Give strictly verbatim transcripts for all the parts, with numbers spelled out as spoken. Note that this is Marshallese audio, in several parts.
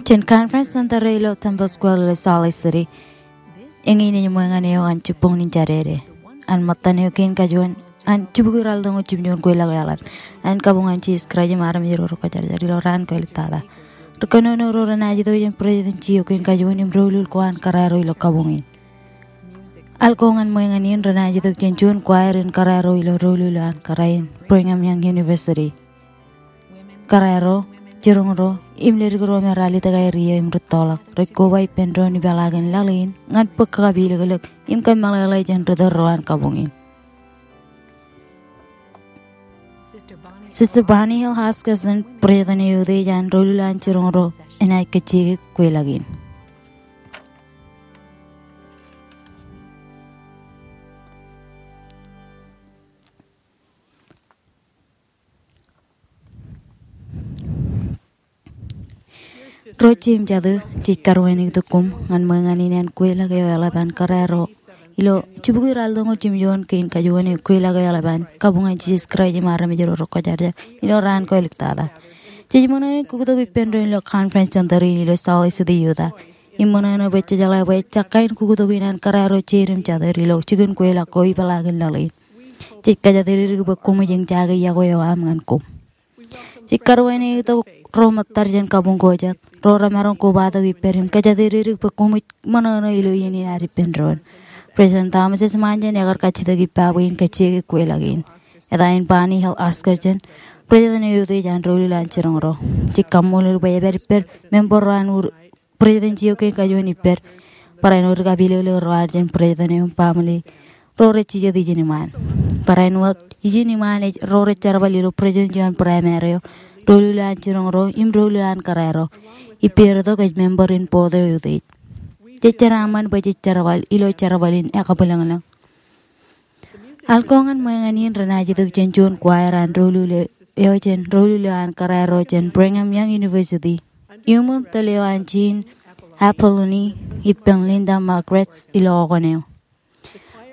jān Conference Center ilo Temple Square ilo Salt Lake City. Eñin ej ṃōñā eo an jibboñ in jadede. An ṃōttan eo kein kajuon an jibukwi ralitōñoul jimjuon kweilọk eḷap an kabuñ an Jisōs Kraist im armej ro rekwōjarjar ilo raan ko āliktata. Ri kōnono ro renaaj itok jān president eo kein kajuon im doulul ko an kōrā ro ilo kabuñ in. Alko ñan ṃōñā in renaaj itok jān juon choir in kōrā ro ilo doulul an kōrā in Brigham Young University. Kōrā ro, jiroñ ro, im ledik ro me ralitōk aer iiō im rūttoḷọk rej koba ippān doon ipeḷaakin laḷ in ñan bōk kakapilōklōk im kōmeḷeḷe jān ri tōl ro an kabuñ in. Sister Bonnie Hill Oscarson, president eo eutiej an doulul an jiroñ ro, enaaj kajjioñ kweilọk in. Ro jeiū im jatū, jej karuwainwōt itok koṃ ñan ṃōñā in an kweilọk eo eḷap an kōrā ro ilo jibukwi ralitōñoul jimjuon kein kajuon eo kweilọk eo eḷap an kabuñ an Jisōs Kraist im armej ro rekwōjarjar ilo raan ko āliktata. Jej ṃōṇōṇō in kuktok ippān doon ilo Conference Center in ilo Salt Lake City, Utah. Im ṃōṇōṇō bwe jejeḷā bwe ejja kain kuktok in an kōrā ro jeiū im jatū ilo jikin kweilọk ko ipeḷaakin laḷ in. Jej kōjatdikdik bwe koṃij eñjake iọkwe eo aṃ ñan koṃ. Jej karuwainwōt itok ro ṃōttad jān kabuñ ko jet, ro remaroñ kobatok ippād im kōjatdikdik bwe koṃij ṃōṇōṇō ilo iien in ad ippān doon. President Thomas S. Monson ekar kajjitōk ippa bwe in kajjioñ kweilọk in. Eta in Bonnie Hill Oscarson, president eo eutiej an doulul an jiroñ ro. Jej kaṃṃoolol bwe epād ippād member ro an ur president eo kein kajuon ippād. Barāinwōt ri kapilōklōk ro ad jān president eo im baaṃle ro rej jijet ijin iṃaan. Barāinwōt ijin iṃaan ej ro rej jerbal ilo president eo an primary eo, doulul an jiroñ ro, im doulul an kōrā ro. Ippāertok ej member in board eo eutiej. Jej jeraaṃṃan bwe jej jerbal ilo jerbal in ekabwilōñlōñ. Alko ñan ṃōñā in renaaj itok jān juon choir an doulul eo jān doulul eo an kōrā ro jān Brigham Young University. Iuṃwin tōl eo an Jean Apoloni ippān Linda Margaret ilo okōn eo.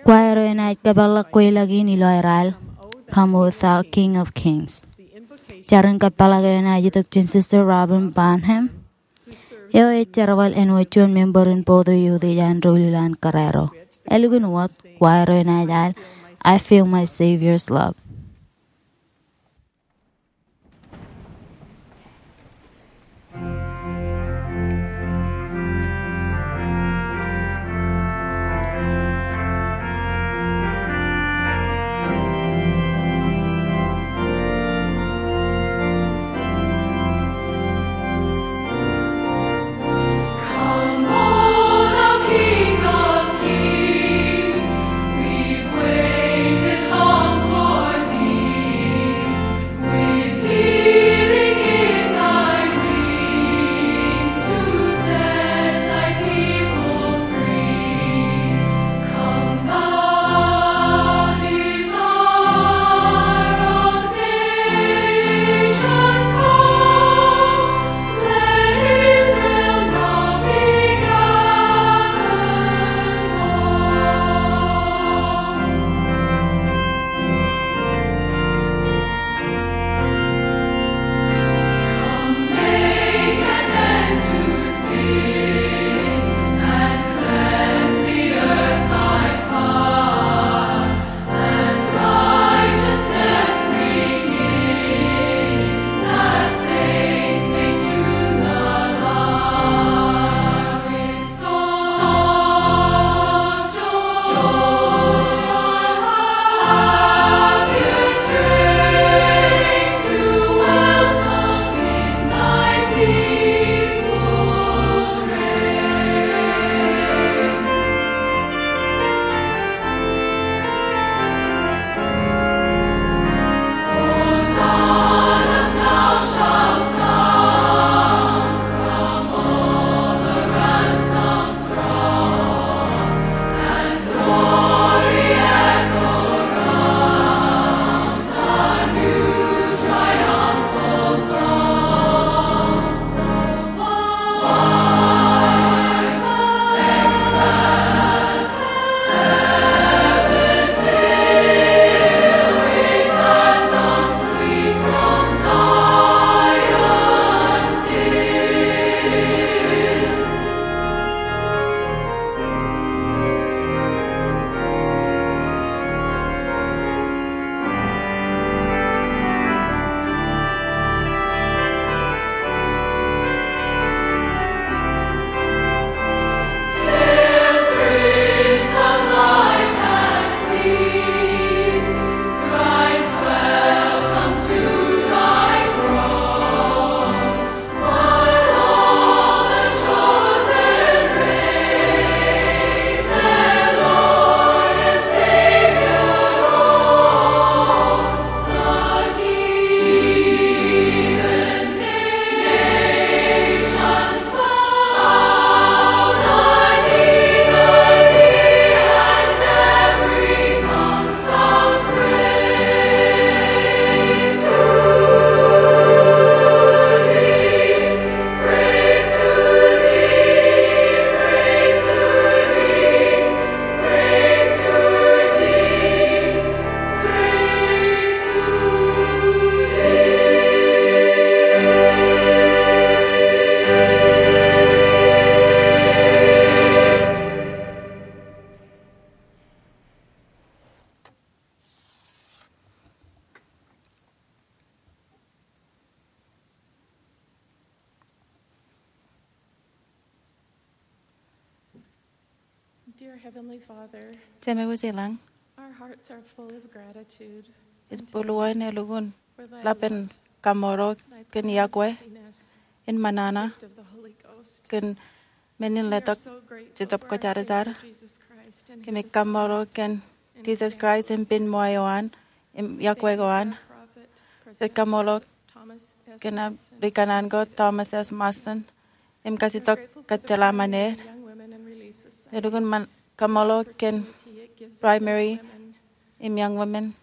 Choir eo enaaj kōpeḷḷọk kweilọk in ilo aer al, Come, O Thou King of Kings. Jar in kōpeḷḷọk eo enaaj itok jān Sister Robin Bonham. Eo ej jerbal āinwōt juon member in board eo eutiej an doulul an kōrā ro. Ālikin wōt, choir eo enaaj al, I Feel My Savior's Love. Dear Heavenly Father, Jemem wōj ilañ, our hearts are full of gratitude ej bōlwōn elukkuun ḷap in kaṃṃoolol kōn iọkwe in ṃōṇōṇō kōn men in letok Jetōb Kwōjarjar. Kōmij kaṃṃoolol kōn Jisōs Kraist im pen ṃool eo an im iọkwe ko an. Jej kaṃṃoolol kōn ri-kōṇaan ko Thomas S. Monson im kajjitōk kōjjeḷā ṃaned. Elukkuun kaṃṃoolol kōn Primary im Young Women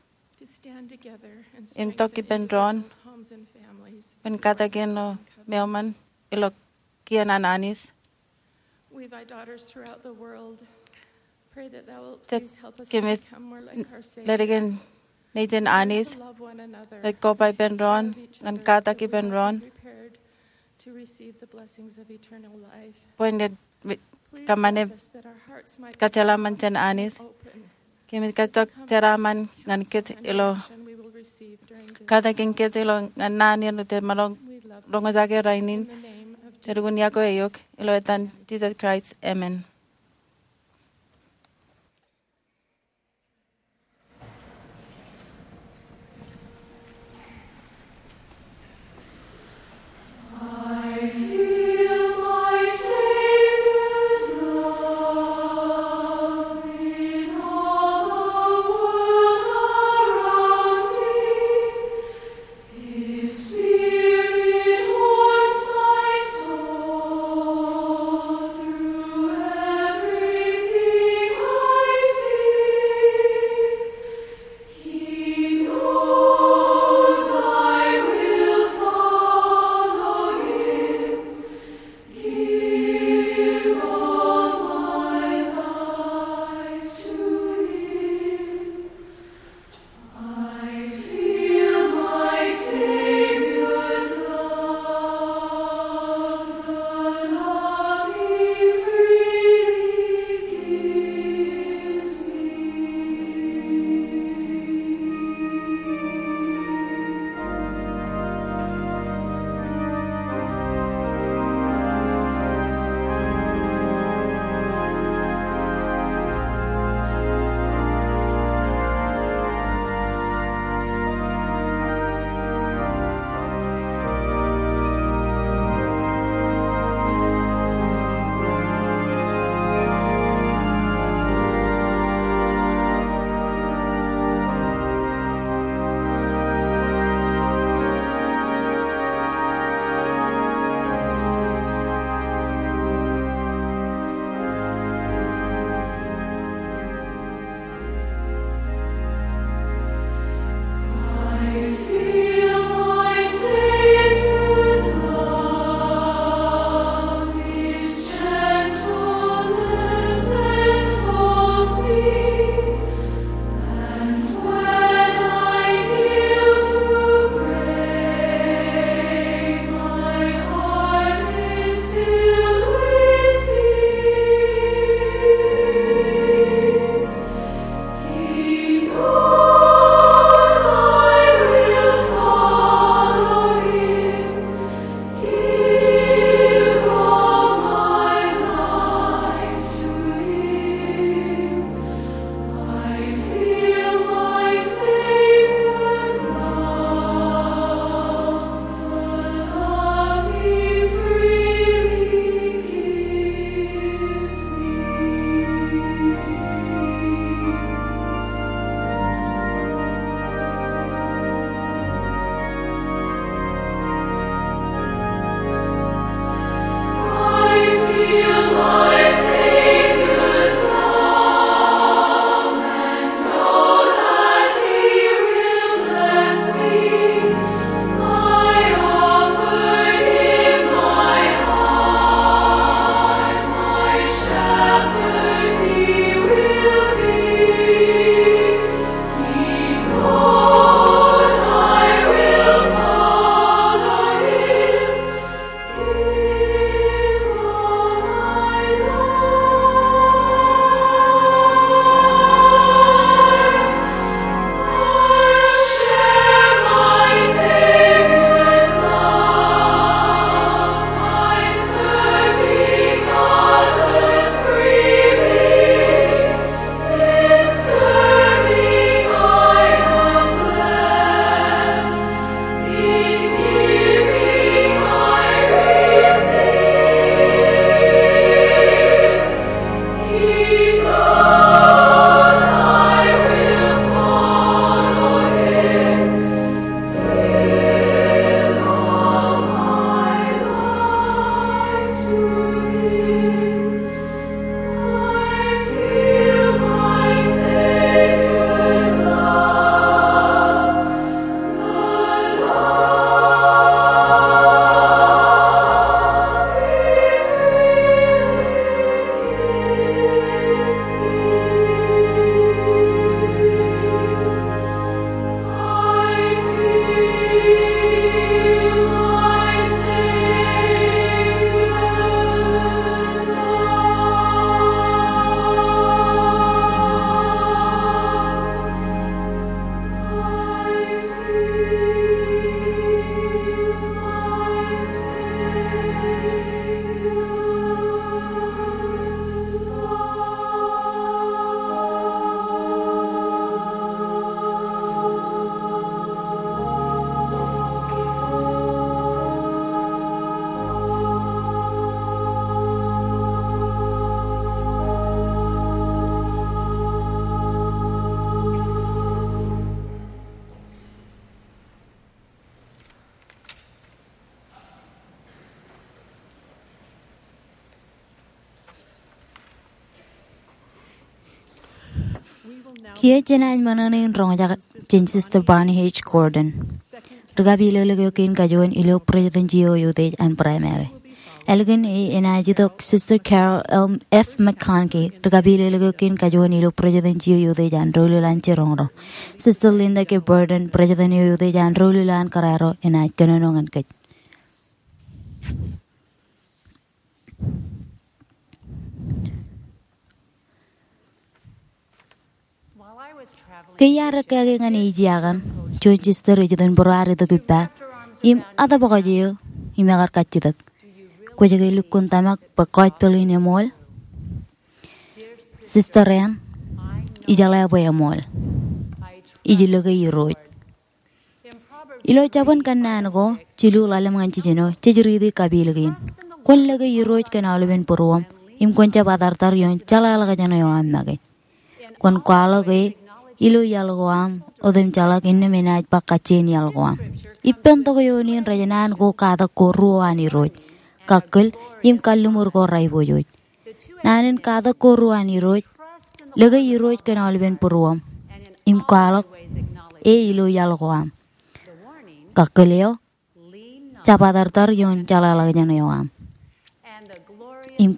im tok ippān doon bwe en katakin ilo meoṃṃan ilo kien an Anij. Jej kōmij ledik in nejin Anij rej koba ippān doon ñan katak ippān doon bwe en kōṃṃane kōjjeḷā ṃōn jān Anij. Kōmij kajjitōk jeraaṃṃan ñan kōj ilo katakin kōj ilo ñan naan in jej maroñ roñjake rainin. Elukkuun iọkwe eok ilo etan Jisōs Kraist, amen. Kiiō jenaaj ṃōṇōṇō in roñjake jān Sister Bonnie H. Gordon, ri kapilōklōk eo kein kajuon ilo presidency eo eutiej an Primary. Ālikin e, enaaj itok Sister Carol F. McConkie, ri kapilōklōk eo kein kajuon ilo presidency eo eutiej an doulul an jiroñ ro. Sister Linda K. Burton, president eo eutiej an doulul an kōrā ro, enaaj kōnono ñan kōj. Ke iar ekkāke ñan Ejiakan, juon sister ej itok būruaar itok ippa im atōpwōj eō im ekar kajjitōk. Kwōj ke lukkuun tōmak bwe gospel in eṃool? Sister eṇ, ijeḷā bwe eṃool. Ij lōke Irooj. Ilo jabōn kōnnaan ko jilu ḷalem ñan jiljino, jej riiti kapilōk in. Kwōn lōke Irooj kōn aolepen būruōṃ im kwōn jab atartar ioon jeḷāḷọkjeṇ eo aṃ make. Kwōn kwaḷọk e ilo iaḷ ko aṃ otem jeḷak innām enaaj ba kajjien iaḷ ko aṃ. Ippān tok eo in rej naan ko katak ko ruo an Irooj, kakkōl im kalliṃur ko raiboojoj. Naan in katak ko ruo an Irooj: lōke Irooj kōn aolepen būruōṃ im kwaḷọk e ilo iaḷ ko aṃ. Kakkōl eo: jab atartar ioon jeḷāḷọkjeṇ eo aṃ. Im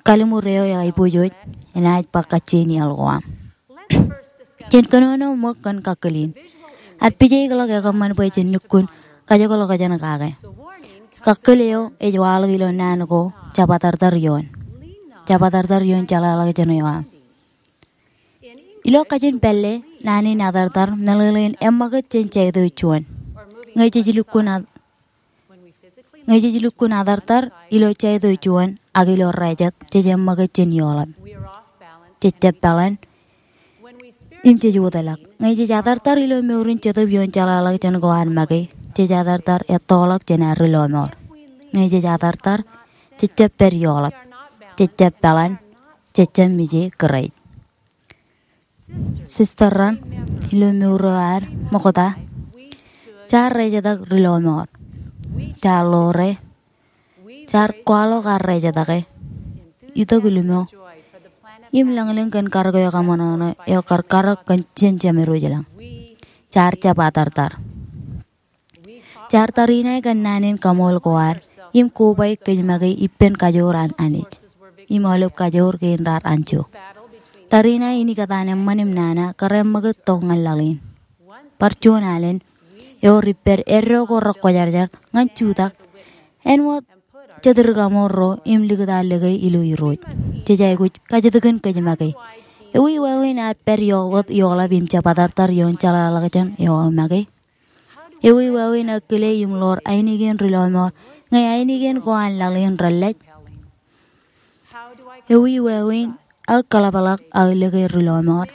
kalliṃur eo aiboojoj enaaj ba kajjien iaḷ ko aṃ. Jen kōnono ṃōk kōn kakkōl in. Ad pijaik ḷọk ekōṃṃan bwe jen lukkuun kajekḷọkjeṇ kake. Kakkōl eo ej waḷọk ilo naan ko jab atartar ioon. Jab atartar ioon jeḷāḷọkjeṇ eo aṃ. Ilo kajin pālle, naan in atartar meḷeḷein eṃṃakūt jān jaito juon. Ñe jej lukkuun at- Ñe jej lukkuun atartar ilo jaito juon ak ilo rājet, jej eṃṃakūt jān ioḷap. Jej jab peḷan im jej wōtlọk. Ñe jej atartar ilo mour in Jetōb ioon jeḷāḷọkjeṇ ko ad make, jej atartar ettoḷọk jān ad ri lọmọọr. Ñe jej atartar, jej jab pād ioḷap. Jej jab peḷan, jej jab mije Kraist. Sister raṇ, ilo mour eo ad ṃokta, jaar rejetōk ri lọmọọr. Jaar ḷoore, jaar kwaḷọk ad rejetōke, itok limo im lōñlōñ kōn karōk eo kaṃōṇōṇō eo kar karōk kōn jān Jemedwōj ilañ. Jaar jab atartar. Jaar tariṇae kōn naan in kaṃool ko ad im kobaik kōj make ippān kajoor an Anij im aolep kajoor kein raar anjọ. Tariṇae in ikōtaan eṃṃan im nana kar eṃṃakūt tok ñan laḷ in. Bar juon alen, ewōr ippād eddo ko rekwōjarjar ñan jutak, āinwōt jet ri kaṃool ro, im likūt ad lōke ilo Irooj. Jej aikuj kajjitōkin kōj make. Ewi wāween ad pād ioḷapḷọk ioḷap im jab atartar ioon jeḷāḷọkjeṇ eo aō make? Ewi wāween aō kile im ḷoor ainikien ri lọmọọr ñe ainikien ko an laḷ in relōñ? Ewi wāween aō kōḷapḷọk aō lōke ri lọmọọr?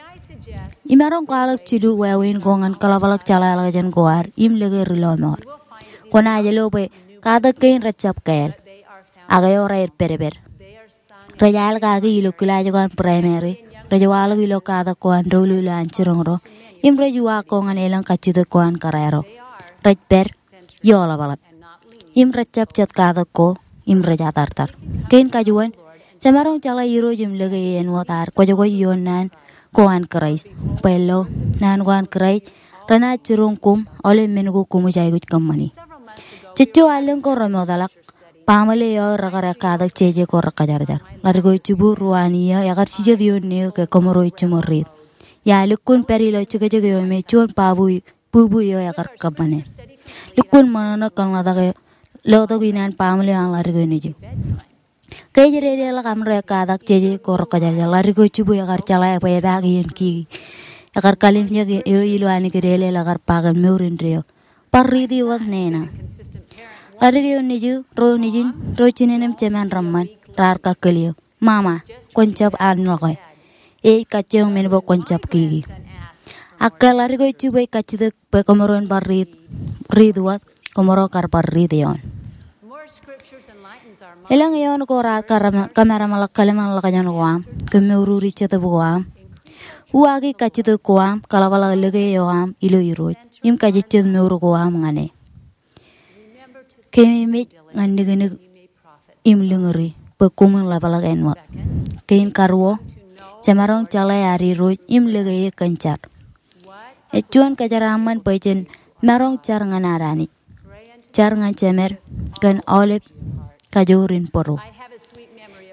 Imaroñ kwaḷọk jilu wāween ko ñan kōḷapḷọk jeḷāḷọkjeṇ ko ad im lōke ri lọmọọr. Kwōnaaj lo bwe katak kein rej jab kāāl, ak ewōr aer pedped. Rej al kaki ilo kilaaj ko an Primary, rej waḷọk ilo katak ko an doulul an jiroñ ro, im rej uwaak ko ñan elōñ kajjitōk ko an kōrā ro. Rej pād ioḷapḷọk im rej jab jet katak ko im rej atartar. Kein kajuon, jemaroñ jeḷā Irooj im lōke e āinwōt ad kwōjkwōj ioon naan ko an Kraist. Bwe lo, naan ko an Kraist renaaj jiroñ koṃ aolep men ko koṃij aikuj kōṃṃani. Jejjo allōñ ko remootḷọk, baaṃle eo aō rekar ekkatak jeje ko rekwōjarjar. Ḷadik eo jibukwi ruo an iiō ekar jijet ioon neō ke kōmro ej jiṃor riit. Iar lukkuun pād ilo jekjek eo me juon bubui, bubui eo ekar kōṃṃane. Lukkuun ṃōṇōṇō kōnḷọk tok e, lotok in an baaṃle eo an ḷadik eo nejū. Ke ej dedeḷọk aṃro ekkatak jeje ko rekwōjarjar, ḷadik eo jibukwi ekar jeḷā bwe epaak iien kiki. Ekar kalimjek eo ilo ankideeḷeḷ, ekar ba kōn mour indeeo, bar riiti wōt nena. Ḷadik eo nejū, ro nejin, ro jinen im jemān reṃṃan, raar kakkōl eō, "Mama, kwōn jab anḷọke. Ej kajjioñ men bwe kwōn jab kiki." Ak ke ḷadik eo jibukwi ej kajjitōk bwe kōmro en bar riit, riit wōt, kōmro kar bar riit eoon. Elōñ eoon ko raar kōmāraṃḷọk kōḷmānḷọkjeṇ ko aṃ, kōmmoururi Jetōb ko aṃ. Uwaaki kajjitōk ko aṃ, kōḷapḷọk lōke eo aṃ ilo Irooj, im kajejjet mour ko aṃ ñan e. Kememej ñan niknik im liñuri bwe koṃwin ḷapḷọk āinwōt. Kein karuo, Jemaroñ jeḷā ad Irooj im lōke e kōn jar. Ej juon kōjeraaṃṃan bwe jen maroñ jar ñan ad Anij, jar ñan jemed kōn aolep kajoor in bōro.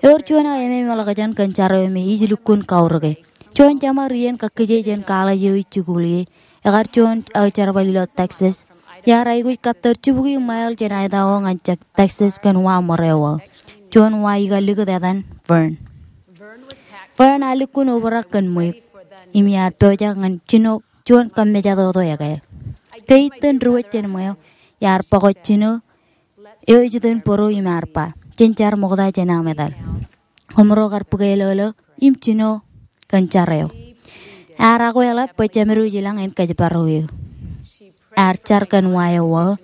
Ewōr juon aō ememḷọkjeṇ kōn jar eo me ij lukkuun kaurōke. Juon jeṃaer iien kakkije jān kōḷej eo ij jikuuḷ ie, ekar juon aō jerbal ilo Texas. Iar aikuj kattōr jibukwi mile jān Idaho ñan Texas kōn wa ṃōrā eo aō. Juon wa ikōlikūt etan Vern. Vern ear lukkuun obrak kōn ṃweiuk im iar pojak ñan jino juon kōmmejatoto ekāāl. Ke ij ittōn diwōj jān ṃweo, iar bōk jino eo ej itok bōro im ear ba, jen jar ṃokta jān aṃ etal. Koṃro kar bōk elōlō im jino kōn jar eo. Ear akweḷap bwe jemed eo ilañ en kōjparok eō. Ear jar kōn wa eo aō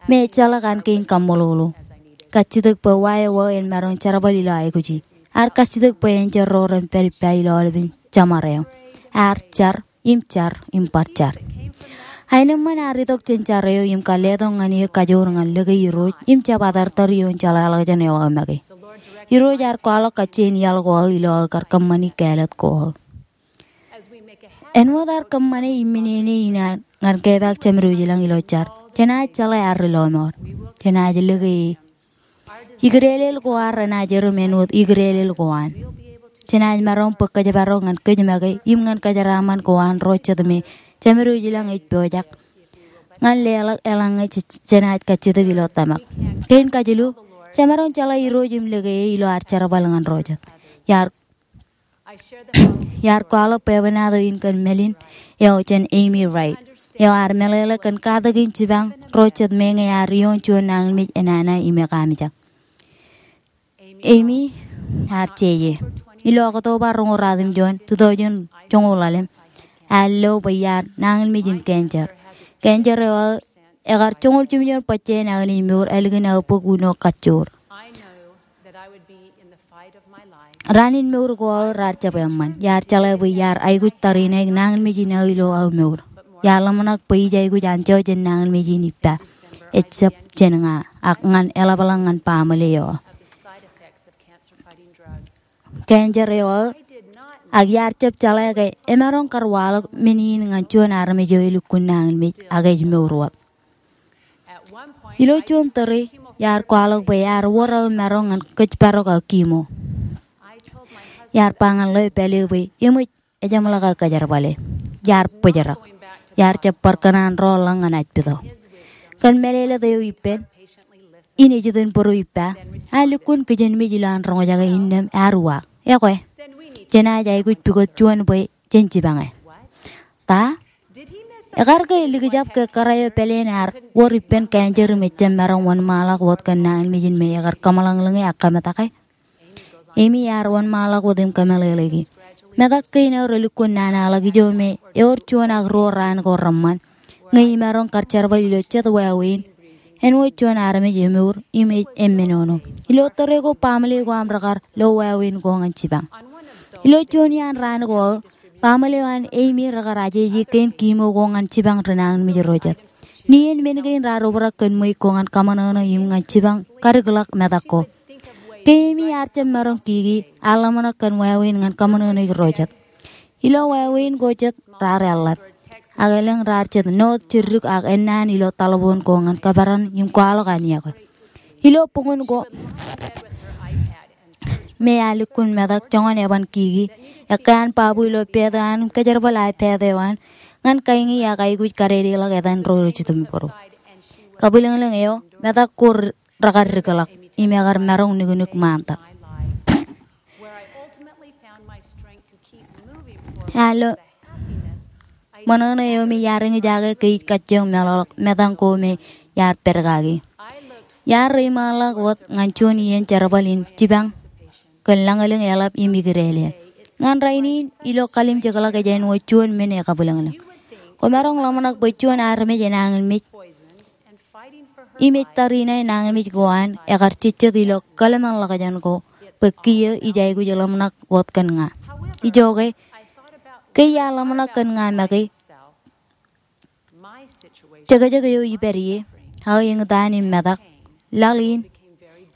me ejjeḷọk an kein kaṃṃoolol. Kajjitōk bwe wa eo aō en maroñ jerbal ilo aikuji. Ear kajjitōk bwe enjeḷ ro ren pād ippa ilo aolepen jeṃar eo. Ear jar im jar im bar jar. Aenōṃṃan ear itok jān jar eo im kar letok ñan eō kajoor ñan lōke Irooj im jab atartar ioon jeḷāḷọkjeṇ eo aō make. Irooj ear kwaḷọk kajjien iaḷ ko aō ilo aō kar kōṃṃani kāālōt ko aō. Āinwōt ear kōṃṃane im men in ñan kepaak jemed eo ilañ ilo jar, jenaaj jeḷā ear ri lọmọọr. Jenaaj lōke e. Ikdeelel ko ad renaaj erom āinwōt ikdeelel ko an. Jenaaj maroñ bōk kōjparok ñan kōj make im ñan kōjeraaṃṃan ko an ro jet me jemed eo ilañ ej pojak ñan leḷọk eḷaññe jenaaj kajjitōk ilo tōmak. Kein kajilu, jemaroñ jeḷā Irooj im lōke e ilo ad jerbal ñan ro jet. Iar Iar kwaḷọk bwebwenato in kōn mālin eo jān Amy Wright, eo ear meḷeḷe kōn katakin jipañ ro jet meñe ear ioon juon nañinmej enana im ekaamijak. Amy ear jeje. Ilo Oktoba roñoul ratimjuon, tūtọujin joñoul ḷalem, ear lo bwe iar nañinmej in cancer. Cancer eo aō ekar joñoul jimjuon bajjek in aō nejmour ālikin aō bōk uno kajjoor. Raan in mour ko aō raar jab eṃṃan. Iar jeḷā bwe iar aikuj tariṇae nañinmej in aō ilo aō mour. Iar ḷōmṇak bwe ij aikuj anjọ jān nañinmej in ippa, ejab jān ña, ak ñan eḷapḷọk ñan baaṃle eo aō. Cancer eo aō, ak iar jab jeḷā ke emaroñ kar waḷọk men in ñan juon armej eo elukkuun nañinmej ak ej mour wōt. Ilo juon tōre, iar kwaḷọk bwe ear wōr aō maroñ ñan kōjparok aō chemo. Iar ba ñan lawyer pālle bwe eṃōj ejeṃḷọk aō kōjerbale. Iar bōjrak. Iar jab bar kōṇaan rọọl ḷọk ñan ajpito. Kōn mālōtlōt eo ippān, in ej itok bōro ippa, ear lukkuun kijenmej ilowaan roñjake innām ear uwaak. Ekwe, jenaaj aikuj pukot juon bwe jen jipañe. Ta? Ekar ke elikjab ke kōrā eo pāleen ear wōr ippān cancer im ejjab maroñ wōnṃaanḷọk wōt kōn nañinmej in me ekar kōmeḷeḷeñe ak kōmātake? Amy ear wōnṃaanḷọk wōt im kōmeḷeḷeiki. Metak kein aō relukkuun nana ḷọk ijo me ewōr juon ak ruo raan ko reṃṃan ñe imaroñ kar jerbal ilo jet wāween āinwōt juon armej emour im ej emmenono. Ilo tōre ko, baaṃle ko aṃ rekar lo wāween ko ñan jipañ. Ilo juon iaan raan ko aō, baaṃle eo an Amy rekar ajeje kein chemo ko ñan jipañ ri nañinmej ro jet. Nien men kein raar obrak kōn ṃweiuk ko ñan kaṃōṇōṇō im ñan jipañ kadikḷọk metak ko. Ke Amy ear jab maroñ kiki, ear ḷōmṇak kōn wāween ñan kaṃōṇōṇōik ro jet. Ilo wāween ko jet raar eḷḷap. Ak elōñ raar jet north jidik ak ennaan ilo taḷboon ko ñan kōperan im kwaḷọk an iọkwe. Ilo buñūn ko me ear lukkuun metak joñan eban kiki, ekkā an babu ilo pāāt eo an im kōjerbal iPad eo an ñan kaiñi ak aikuj kadedeḷọk etan ro rej itok bōro. Kabwilōñlōñ eo, metak ko rekar dikḷọk im ekar maroñ nuknuk ṃaantak. Ear lo ṃōṇōṇō eo me iar eñjake ke ij kajjioñ meḷọkḷọk metañ ko me iar pād kaki. Iar reiṃaanḷọk wōt ñan juon iien jerbal in jipañ kōn lañlōñ eḷap im ikdeelel. Ñan rainin, ilo kalimjekḷọk ej āinwōt juon men ekabwilōñlōñ. Kwōmaroñ ḷōmṇak bwe juon armej enañinmej im ej tariṇae nañinmej ko an ekar jejjet ilo kōḷmānḷọkjeṇ ko bwe kiiō ij aikuj ḷōmṇak wōt kōn ña. Ijoke, ke iar ḷōmṇak kōn ña make, jekjek eo ipād ie, aō eñtaan im metak, laḷ in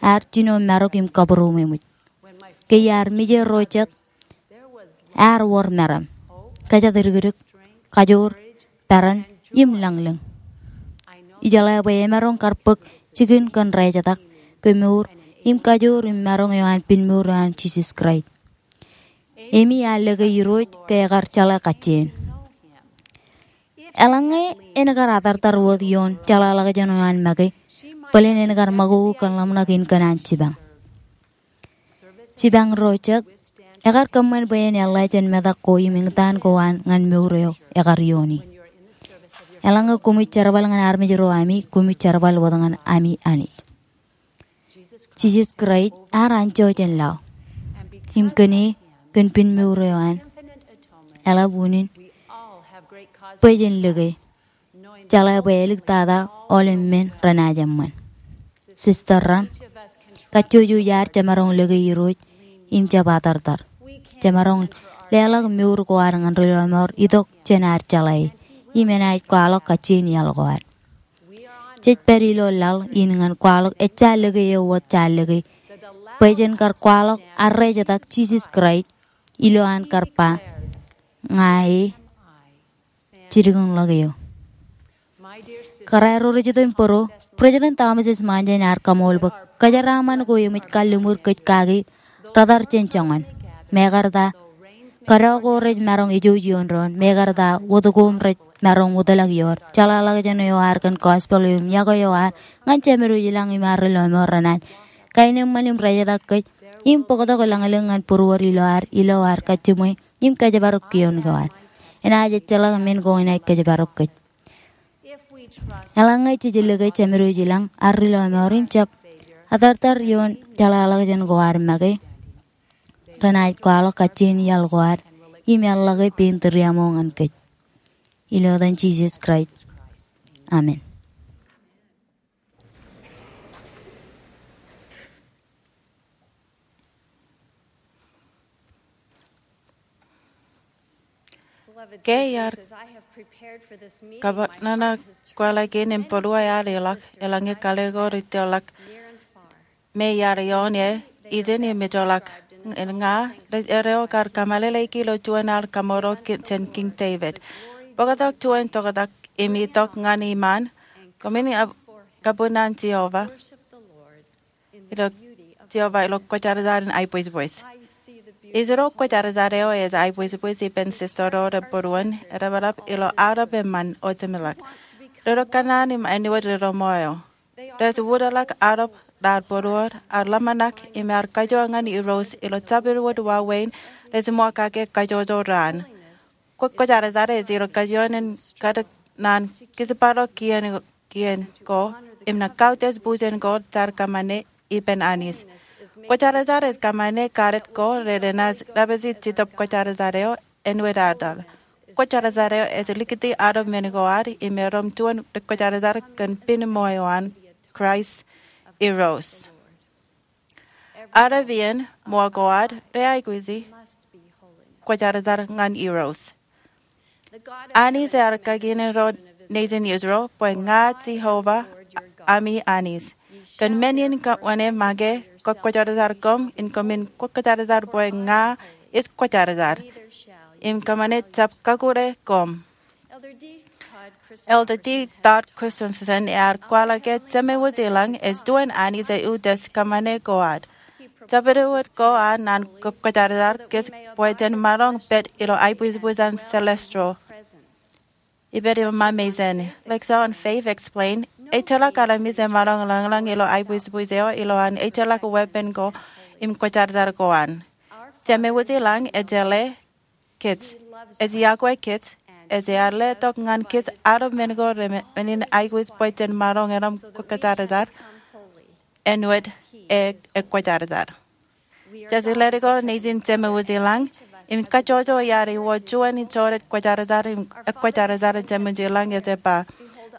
ear jino marok im kabūroṃōj. Ke iar mije ro jet ear wōr meram, kōjatdikdik, kajoor, peran, im lañlōñ. Ijeḷā bwe emaroñ kar bōk jikin kōn rejetak, kemour, im kajoor im maroñ eo an pinmour eo an Jisōs Kraist. Emi ear lōke Irooj ke ekar jeḷā kajjien. Eḷaññe en kar atartar wōt ioon jeḷāḷọkjeṇ eo an make, bōlen en kar makoko kōn ḷōmṇak in kōn an jipañ. Jipañ ro jet, ekar kōṃṃan bwe en eḷḷā jān metak ko im eñtaan ko an ñan mour eo ekar iooni. Eḷaññe koṃij jerbal ñan armej ro ami, koṃij jerbal wōt ñan ami Anij. Jisōs Kraist ear anjọ jān laḷ im kōn e, kōn pinmour eo an, eḷap unin bwe jen lōke, jeḷā bwe āliktata aolep men renaaj eṃṃan. Sister ro, kajjojo iar jemaroñ lōke Irooj im jab atartar. Jemaroñ leḷọk mour ko ad ñan ri lọmọọr itok jān ad jeḷā e, im enaaj kwaḷọk kajjien iaḷ ko ad. Jej pād ilo laḷ in ñan kwaḷọk ejja lōke eo wōt jaar lōke, bwe jen kar kwaḷọk arrejetak Jisōs Kraist ilo an kar ba, ña e, jilkinḷọk eō. Kōrā ro ri jitōñ bōro, President Thomas S. Monson ear kaṃool bwe kōjeraaṃṃan ko eṃōj kalliṃur kōj kaki retar jān joñan. Mekarta, kōdọ ko rej maroñ ejouj ioon doon, mekarta wōt ko rej maroñ wōtlọk ioon jeḷāḷọkjeṇ eo ad kōn gospel eo im yokwe eo ad ñan Jemedwōj ilañ im ad ri lọmọọr renaaj kaenōṃṃan im rejetak kōj im bōktok lañlōñ ñan būruod ilo ad, ilo ad kajjiṃwe im kōjparok kioon ko ad. Enaaj ejjeḷọk men ko enaaj kōjparok kōj. Eḷaññe jej lōke Jemedwōj ilañ, ad ri lọmọọr im jab atartar ioon jeḷāḷọkjeṇ ko ad make, renaaj kwaḷọk kajjien iaḷ ko ad im eḷḷọke pein tūriaṃo ñan kōj. Ilo etan Jisōs Kraist, amen. Ke iar kōpeḷḷọk kweḷe kein im būruō ear ilọk, eḷaññe kaḷe ko rej tōrḷọk me iar ioon e, ijin im ejjeḷọk. Ña rej erreo kar kōmālōtlōti ilo juon al kaṃṃoolol jān Kiiñ Devid. Bōktok juon toktak im itok ñan iṃaan, koṃwin kab-, kabūṇ an Jeova ilo, Jeova ilo kwōjarjar in aibwisbwis. Ij ro kwōjarjar eo ej aibwisbwis ippān sister ro rej būruon, edeḷọk ilo aolep eṃṃan eo jeṃḷọk. Ro rej kōṇaan im āinwōt ro ṃool eo. Rej wūtḷọk aolep raar būruod, ear ḷōmṇak im ear kajoor ñan Irooj ilo jabdewōt wāween rej ṃool kake kajjojo raan. Kwōjarjar ej ilo kajjioñ in kadik naan kijparok kien, kien ko im naan kautiej bujen ko jaar kōṃṃane ippān Anij. Kwōjarjar ej kōṃṃane kadet ko renaaj dāpiji Jetōb Kwōjarjar eo, āinwōt aō tōl. Kwōjarjar eo ej likūti aolep men ko ad im erom juon ri kwōjarjar kōn pinṃool eo an Kraist Irooj. Aolep iien ṃool ko ad reaikuji kwōjarjar ñan Irooj. Anij ear kakinen ro nejin Israel bwe ña Jeova ami Anij. Kōn men in kōṃṃane make kwō kwōjarjar koṃ in koṃwin kwōjarjar bwe ña ij kwōjarjar im kōṃṃane jab kakure koṃ. Elder D. Todd Christensen ear kwaḷọk ke Jemewōj ilañ ej juon Anij eo ej kōṃṃane ko ad. Jabdewōt ko an naan kwōjarjar kōj bwe jen maroñ pād ilo aibwisbwis an celestial. Ippān eo ṃaṃa eo an Lecture on Faith explain, ejjeḷọk armej emaroñ lañlōñ ilo aibwisbwis eo ilo an ejjeḷọk weeppān ko im kwōjarjar ko an. Jemewōj ilañ ej jeḷā kōj. Ej iọkwe kōj. Ej ear letok ñan kōj aolep men ko renaaj aikuj bwe jen maroñ erom kwōjarjar āinwōt e kwōjarjar. Jej ledik ilo nejin Jemewōj ilañ im kajjojo iar iwōj juon ijorrāān kwōjarjar im kwōjarjar Jemewōj ilañ ej ba,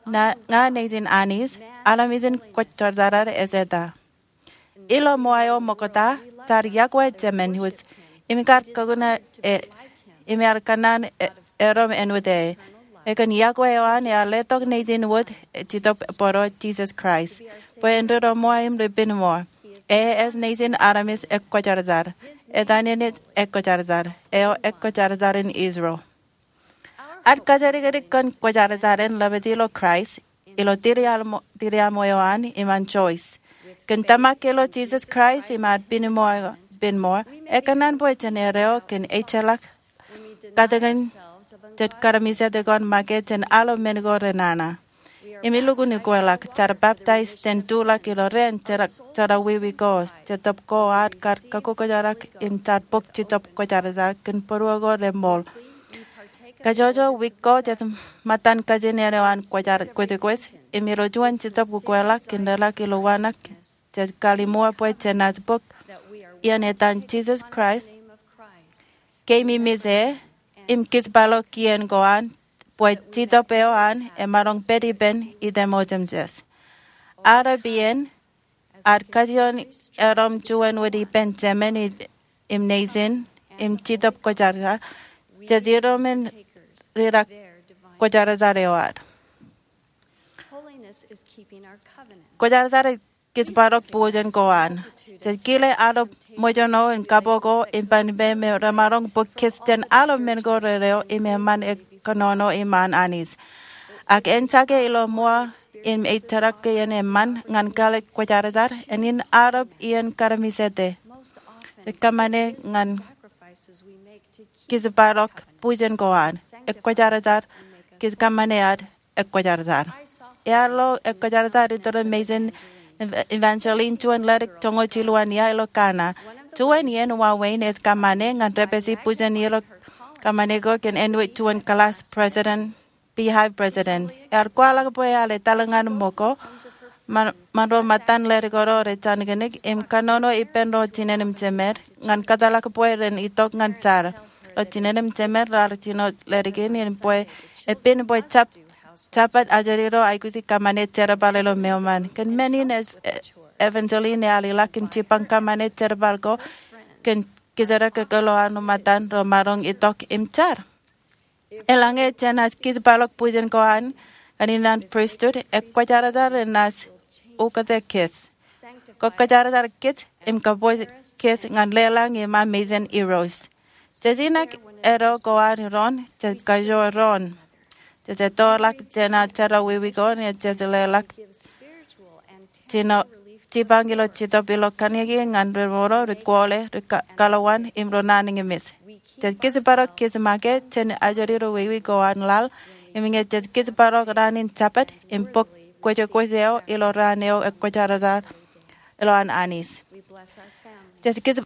ña, ña nejin Anij, armej in kwōjarjar ej eta. Ilo ṃool eo ṃokta, jaar iọkwe Jemewōj im kar kakuṇe e im ear kōṇaan e, erom āinwōt e. Ekōn iọkwe eo an ear letok nejin wōt Jetōb Bōro, Jisōs Kraist, bwe en ri lọmọọr im ri pinṃool. E ej nejin armej eo kwōjarjar. Etan in ej Kwōjarjar eo, Kwōjarjar in Israel. Ad kajjitōk kōn kwōjarjar en ḷapḷọk ilo Kraist, ilo tūriaṃo, tūriaṃo eo an iṃaan Joyce. Kōn tōmak ilo Jisōs Kraist im ad pinmour, pinmour, ekōṇaan bwe jen erreo kōn ejjeḷọk katakin jet karamijete ko make jān alo men ko renana. Im ilukkuun ukweḷọk, jar baptize jān tuḷọk ilo raan jerọwiwi ko, Jetōb ko ad kar kakkokkojarrak im jar bōk Jetōb Kwōjarjar kōn būruō ko remour. Kajjojo wiik ko jet ṃōttan kajin eo an Kwōjarjar, Kwōjarjar, im ilo juon Jetōb ukweḷọk kōn leḷọk ilo waṇak, jet kallim̧ur bwe jenaaj bōk iien etan Jisōs Kraist, keememej e, im kijbaḷọk kien ko an, bwe Jetōb eo an emaroñ pād ippān item otemjej. Arep iien, ad kajjioñ erom juon wōt ippān Jemān im Neisin im Jetōb Kwōjarjar, jej iroṃōn rirak kwōjarjar eo ad. Kwōjarjar ej kijbaḷọk bujen ko an. Jej kile aolep ṃōjṇọ in kapo ko im ban ippān me remaroñ bōk kōj jān alo men ko rerreo im eṃṃan kōnono iṃaan Anij. Ak ejjake ilo ṃool in ej tōmak iien eṃṃan ñan kāālōt kwōjarjar, eñin aolep iien karamijete. Jej kōṃṃane ñan kijbaḷọk bujen ko an. Ekwōjarjar, kōj kōṃṃane ad ekwōjarjar. Ear lo ekwōjarjar iturin Mason Evangeline juon ledik joñoul jilu an iar ilo Ghana. Juon iien wāween ej kōṃṃane ñan depesi bujen ilo kōṃṃane ko kōn āinwōt juon class president, beehive president. Ear kwaḷọk bwe ear etal ñan ṃōko ṃan, ṃan ro ṃōttan ledik ro rej jañin kōnke im kōnono ippān ro jinen im jemed ñan kōtḷọk bwe ren itok ñan jar. Ro jinen im jemed raar jino ledik in im bwe epen bwe jab, jabōt ajri ro aikuji kōṃṃane jerbal ilo meoṃ an. Kōn men in Ev-, Evangeline ear ilọk im jipañ kōṃṃane jerbal ko kōn kōjatdikdik ilo an ro ṃōttan ro maroñ itok im jar. Eḷaññe jenaaj kijbaḷọk bujen ko an ñan pristut, ekwōjarjar enaaj ukōte kōj, kwōjarjar kōj im kōpooj kōj ñan leḷọñ iṃaan mejān Irooj. Jej inak erreo ko an doon, jej kajoor doon. Jej ettoḷọk jān ad jerọwiwi ko, im jej leḷọk jino jipañ ilo Jetōb ilo kanniōk ñan ri ṃool, ri kwoḷe, ri ka-, kaḷowan im ri naan ñe mej. Jej kijbaḷọk kōj make jān ajri ro wiwi ko an laḷ, im ñe jej kijbaḷọk raan in jabōt im bōk kwōjkwōj eo ilo raan eo ekwōjarjar ilo an Anij. Jej kij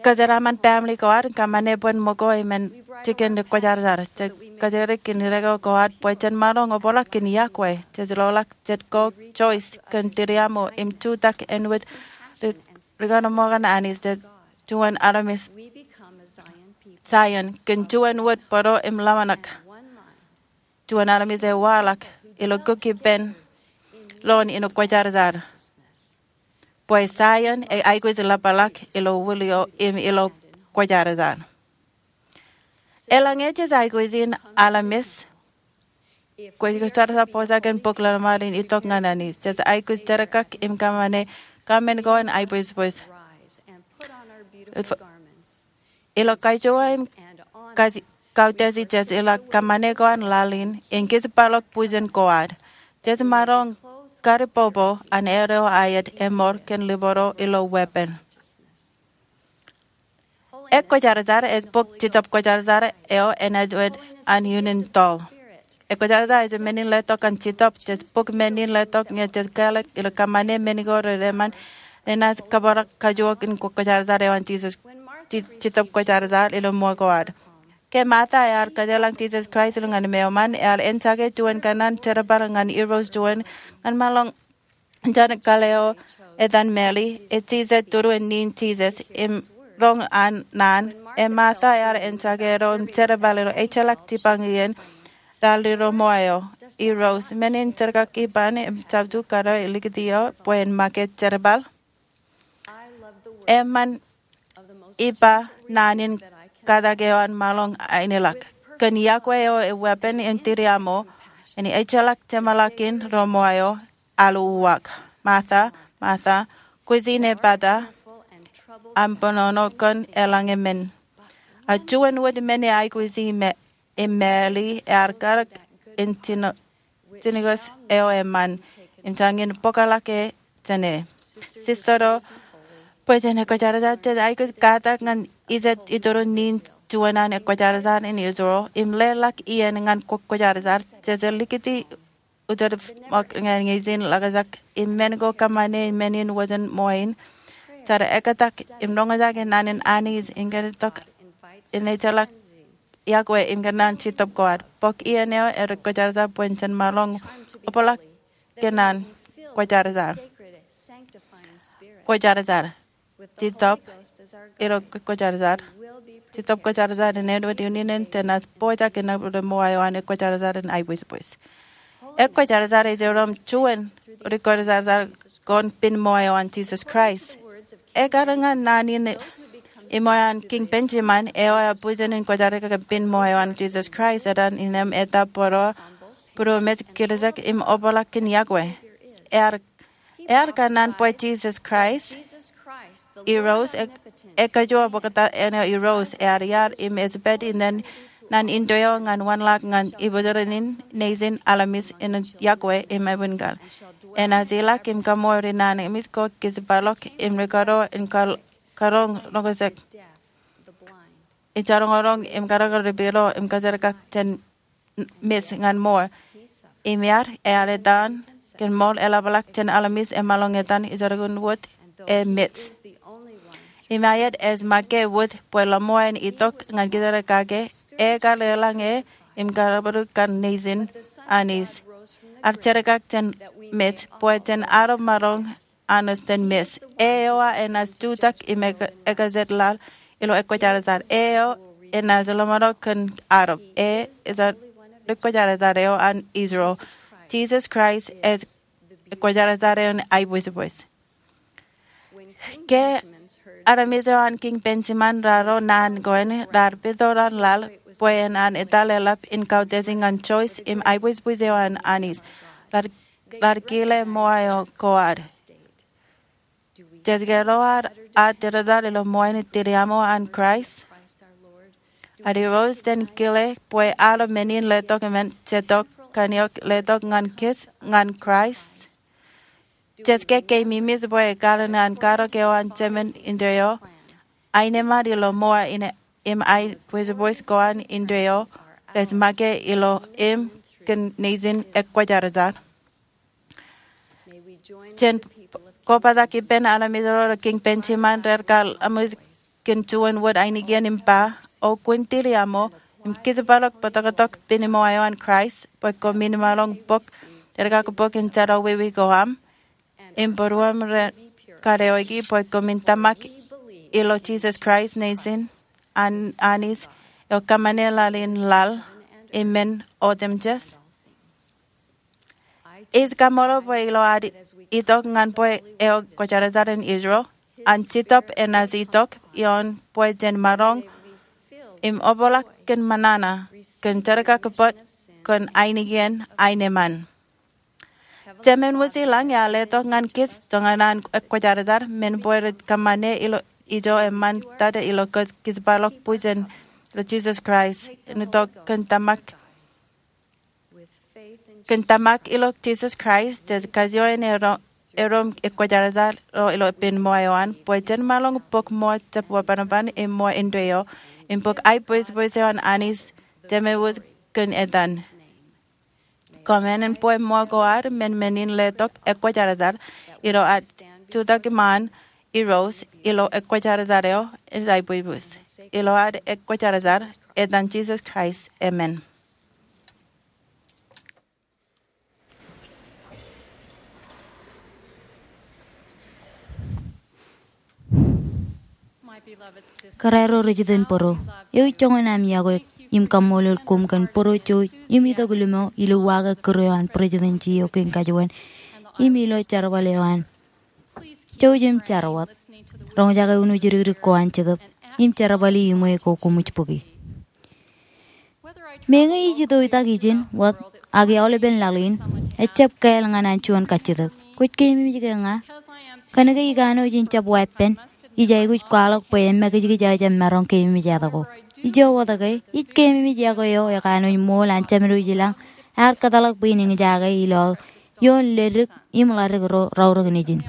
kōjeraaṃṃan family ko ad, kōṃṃane bwe en ṃōko im en jikin ekwōjarjar. Jej kōjatdikdik in rūkaki ko ad bwe jen maroñ obrak kōn yokwe. Jej loḷọk jet ko Joyce kōn tūriaṃo im jutak āinwōt ri-, rikaṇ ṃōk an Anij, jej juon armej Zion kōn juon wōt bōro im lọmọṇak. Juon armej ej waḷọk ilo kōkōpān loon in kwōjarjar. Bwe Zion ej aikuj ḷapḷọk ilo wūlio im ilo kwōjarjar. Eḷaññe jej aikuj in armej kwōjarjar, bōjrak kōn bōk ḷōmṇak in itok ñan Anij, jej aikuj jerkak im kōṃṃane kōṃṃan ko an aibwijbwij. Ilo kajoor im kaj-, kautiej jej ilọk kōṃṃane ko an laḷ in, in kijbaḷọk bujen ko ad. Jej maroñ karipopo an erreo aet eṃool kōn lubaro ilo weeppān. Ekwōjarjar ej bōk Jetōb Kwōjarjar eo enaaj wōt an iien in toḷ. Ekwōjarjar ej men in letok an Jetōb, jej bōk men in letok ñe jej kāālōt ilo kōṃṃane men ko reṃṃan, enaaj kōbrak kajoor in kwōjarjar eo an Jisōs, Je-, Jetōb Kwōjarjar ilo ṃool ko ad. Ke Martha ear kōjeḷā Jisōs Kraist ilo ñan meoṃ an, ear eñjake juon kōnnaan jerbal ñan Irooj juon ñan maroñ jān kaḷ eo etan Meri, ej jijet turun in Jisōs im roñ an naan. Im Martha ear eñjake ro im jerbal ilo ejjeḷọk jipañ iien, raar lilo ṃool eo, Irooj, men in jerkak ippān im jabdewōt kōrā likūt eo bwe en make jerbal. Eṃṃan ippa naan in katak eo an maroñ aenōḷọk. Kōn yokwe eo ej weeppān im tūriaṃo, en ejjeḷọk jeṃḷọkin ro ṃool eo, aḷ uwaak. Martha, Martha, kwōj inepata aṃ bōnono kōn eḷaññe men. A juon wōt men e aikuji im māāli ear karōk in jino-, jinōkos eo eṃṃan im jañin bōkḷọk e jāne. Sister eo, bwe jen ekwōjarjar, jej aikuj katak ñan ijet itūrin naan juon an ekwōjarjar in Israel im leḷọk iien ñan kwōjarjar. Jej likūti utōd ṃōk ñan ñe ijin ḷakjak im men ko kōṃṃane men in wōj in ṃoe in. Jar ekōtak im roñjake naan in Anij in kōnono tok in ejjeḷọk yokwe im kōnono Jetōb ko ad. Bōk iien eo ekwōjarjar bwe jen maroñ obrak kōn an kwōjarjar. Kwōjarjar. Jetōb ilo kwōjarjar. Jetōb kwōjarjar in āinwōt iien in jenaaj pojak in ṃōa eo an ekwōjarjar in aibwisbwis. Ekwōjarjar ej erom juon ri kwōjarjar kōn pen ṃoa eo an Jisōs Kraist. Ekar ñan naan in iṃōj an Kiiñ Benjamin eo ear bujen in kwōjarjar kōn pen ṃoa eo an Jisōs Kraist, etan innem eta bōro būruō mej kiljek im obrak kōn yokwe. Ear Ear kōnono bwe Jisōs Kraist, Irooj, e-, ekajoor bōkta āne Irooj, ear iar im ej pād indeeo naan indeeo ñan wanlaḷ ñan ibwijeran in nejin armej in yokwe im abuñkar. Enaaj ilọk im kaṃṃool ri naan eṃṃan ko kijparok im ri karuo in kar-, karoñ roñjake. Ij jaroñroñ im karōkar ri pilo im kōjerkak jān mej ñan ṃool. Im iar, ear etan kōn ṃool eḷapḷọk jān armej emaroñ etan ijerbal wōt e mej. Im aet ej make wōt bwe ḷōṃool in itok ñan kōjerkake, ekar eḷaññe im kar bōk kar nejin Anij. Ear jerkak jān mej bwe jen adob maroñ aṇṇo jān mej. Eo enaaj jutak im ek-, ekajjitḷọk ilo ekwōjarjar. Eo enaaj ḷōṃaro kōn adob. E, ej ri kwōjarjar eo an Israel. Jisōs Kraist ej ekwōjarjar eo an aibwisbwis. Ke armej eo an Kiiñ Benjamin raar ro naan ko in, raar pād ilo laḷ bwe en an etal eḷap in kautiej ñan choice im aibwisbwis eo an Anij. Raar raar kile ṃool eo ko ad. Jej ke ro ad aō tōtōt ilo ṃool in tiliaṃo an Kraist? Ad Irooj jen kile bwe aolep men in letok im ej itok kaṇ eo letok ñan kōj ñan Kraist? Jej ke keememej bwe ekar an karōk eo an Jemān indeeo, aenōṃṃan ilo ṃool in im aibwisbwis ko an indeeo rej make ilo im kōn nejin ekwōjarjar? Jen kobatok ippān armej ro ilo Kiiñ Benjamin rej kar ṃōj kōn juon wōt ainikien im ba, O kwōn tiliaṃo im kijparok bōtōktōk pen ṃool eo an Kraist, bwe koṃwin maroñ bōk, jerkak bōk in jerọwiwi ko aṃ im būruōṃ rej kadeoiki, bwe koṃwin tōmak ilo Jisōs Kraist nejin an Anij eo kōṃṃane laḷ in laḷ im men otemjej. Ij kaṃṃoolol bwe ilo ad itok ñan bwe eo kwōjarjar in Israel, an Jetōb enaaj itok ioon bwe jen maroñ im obrak kōn ṃōṇōṇō, kōn jerkakbōt, kōn ainikien aenōṃṃan. Jemān Wūj ilañ ear letok ñan kōj tok ñan an ekwōjarjar, men bwe rej kōṃṃane ilo ijo eṃṃan tata ilo kōj kijparok bwijin ilo Jisōs Kraist, im itok kōn tōmak kōn tōmak ilo Jisōs Kraist, jej kajoor in erom, erom ekwōjarjar ro ilo pen ṃool eo an, bwe jen maroñ bōk ṃool jab wāween im ṃool indeeo, im bōk aibwisbwis eo an Anij, Jemān Wūj kōn etan. Kōṃṃan bwe ṃool ko ad, men men in letok ekwōjarjar, ilo ad jutak iṃaan Irooj, ilo ekwōjarjar eo ej aibwisbwis. Ilo ad ekwōjarjar, etan Jisōs Kraist, amen. Kōrā ro ri jitōñ bōro, eo ij joñan am iọkwe im kaṃṃoolol koṃ kōn bōro jouj im itok limo ilo uwaake kūr eo an Presidency eo kein kajuon im ilo jerbal eo an. Jouj im jar wōt. Roñjake uno jidikdik ko an Jetōb im jerbali iṃwe ko koṃij bōki. Meñe ij itok itak ijin wōt ak aolepen laḷ in, ejjab kāāl ñan an juon kajjitōk. Kwōj keememej ke ña? Kōnke ikanooj in jab weeppān. ij aikuj kwaḷọk bwe emakijkij aō jab maroñ keememej etok ko. Ijo wōt ke, ij keememej eok eo ekanooj ṃool an Jemedwōj ilañ, ear kōtḷọk bwe in eñjake ilo ioon ledik im ḷadik ro raorōk nejin.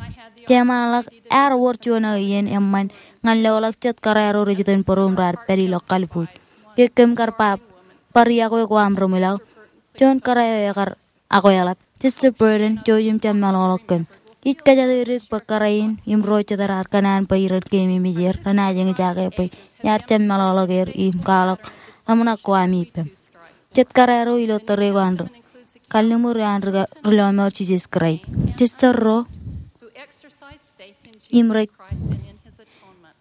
Jeṃaanḷọk, ear wōr juon aō iien eṃṃan ñan loḷọk jet kōrā ro rej itok būruōm raar pād ilo kalbuuj. Ke kōm kar ba, bar iọkwe ko aṃ ri ṃwilaḷ, juon kōrā eo ekar akweḷap. Sister Burton, jouj im jab meḷọkḷọk kōm. Ij kōjatdikdik bwe kōrā in im ro jet raar kōṇaan bwe iren keememej er renaaj eñjake bwe iar jab meḷọkḷọk er im kwaḷọk ḷōmṇak ko ami ippaṃ. Jet kōrā ro ilo tōre ko an ri kalliṃur eo an ri ka-, ri lọmọọr Jisōs Kraist. Sister ro im rej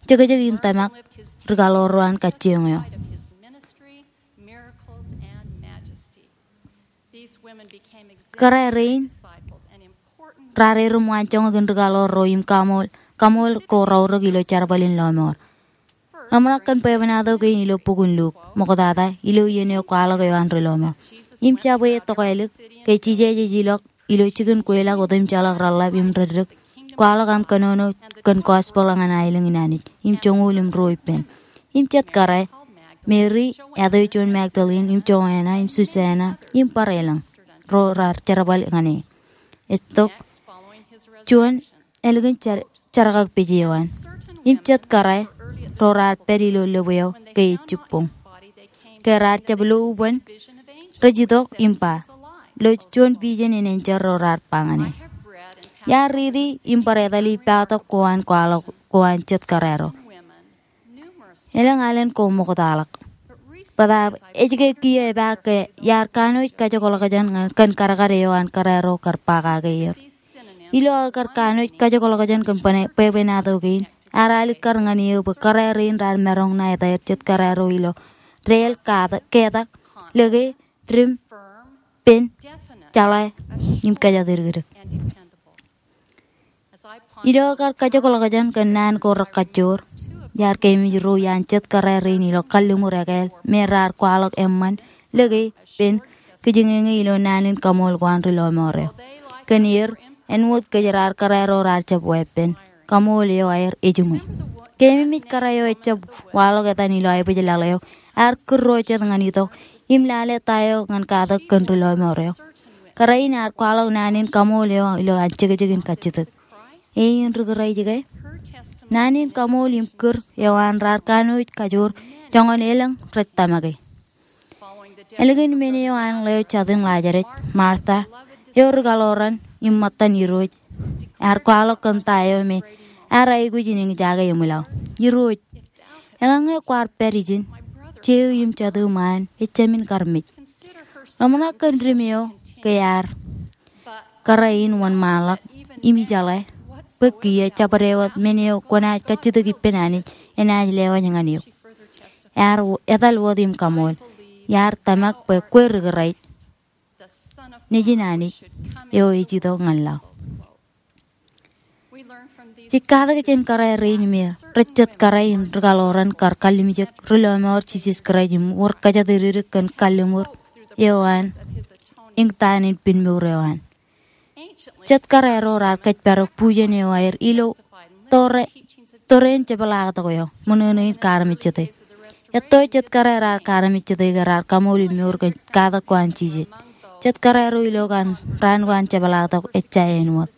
jekjek in tōmak ri kaḷoor ro an kajjioñ eo. Kōrā rein raar erom waanjoñak in ri kaḷoor ro im kaṃool, kaṃool ko raorōk ilo jerbal in lọmọọr. Ḷōmṇak kōn bwebwenato kein ilo bok in Luk, ṃoktata, ilo iien eo kwaḷọk eo an ri lọmọọr. Im jabwe ej tokālik, ke Jisōs ej ilọk ilo jikin kweilọk otemjeḷọk reḷḷap im reddik, kwaḷọk aṃ kōnono kōn gospel ñan aelōñ in Anij, im joñoul im ruo ippān. Im jet kōrā, Mary, etan John Magdalene, im Joanna, im Susanna, im bar elōñ ro raar jerbal ñan e. Ej tok juon ālikin jar-, jarkakpeje eo an. Im jet kōrā ro raar pād ilo lōb eo ke ej jibboñ. Ke raar jab lo ubōn, rej itok im ba, lo juon vision in enjeḷ ro raar ba ñan e. Iar riiti im bar etali patok ko an kwaḷọk ko an jet kōrā ro. Elōñ alen ko ṃoktaḷọk. Bōtaab ej ke kiiō epaak ke iar kanooj kajekḷọkjeṇ ñan kōn kadkad eo an kōrā ro kar ba kake er. Ilo aō kar kanooj kajekḷọkjeṇ kōn bwe-, bwebwenato kein, ear alikkar ñan eō bwe kōrā rein raar maroñ ṇa etaer jet kōrā ro ilo deel, katak, ketak, lōke, dim, pen, jeḷā, im kōjatdikdik. Ilo aō kar kajekḷọkjeṇ kōn naan ko rekajjoor, iar keememej ro iaan jet kōrā rein ilo kalliṃur ekāāl me raar kwaḷọk eṃṃan, lōke, pen, kijeñeñe ilo naan in kaṃool ko an ri lọmọọr eo. Kōn er, āinwōt kōj raar kōrā ro raar jab weeppān, kaṃool eo aer ejiṃwe. Keememej kōrā eo ejab waḷọk etan ilo aebōjlaḷ eo, ear kūr ro jet ñan itok, im lale ta eo ñan katak kōn ri lọmọọr eo. Kōrā in ear kwaḷọk naan in kaṃool eo ilo an jekjek in kajjitōk. Eñin ri Kraist ke? Naan in kaṃool im kūr eo an raar kanooj kajoor joñan elōñ rej tōmake. Ālikin men eo an ḷeo jatin Lazarus, Martha, eo ri kaḷoran im ṃōttan Irooj, ear kwaḷọk kōn ta eo me ear aikuj in eñjake eṃwilaḷ. Irooj, eḷaññe kwaar pād ijin, jeiū im jatū ṃaan ejāmin karmej. Ḷōmṇak kōn dim eo ke ear kōrā in wōnṃaanḷọk im ijeḷā bwe kiiō jabdewōt men eo kwōnaaj kajjitōk ippān Anij enaaj lewōj ñan eok. Ear w-, etal wōt im kaṃool, iar tōmak bwe kwe ri Kraist, Nejin Anij eo ej itok ñan laḷ. Jej katak jān kōrā rein me rej jet kōrā in ri kaḷoran kar kallimjek ri lọmọọr Jisōs Kraist im wōr kōjatdikdik kōn kalliṃur eo an, eñtaan in pinmour eo an. Jet kōrā ro raar kōjparok bujen eo aer ilo tōre-, tōre in jepḷaaktok eo, ṃōṇōṇō in kaarmejjete. Etto jet kōrā raar kaarmejjete ke raar kaṃool im mour kōn katak ko an Jisōs. Jet kōrā ro ilo kan raan ko an jepḷaaktok ejja āinwōt.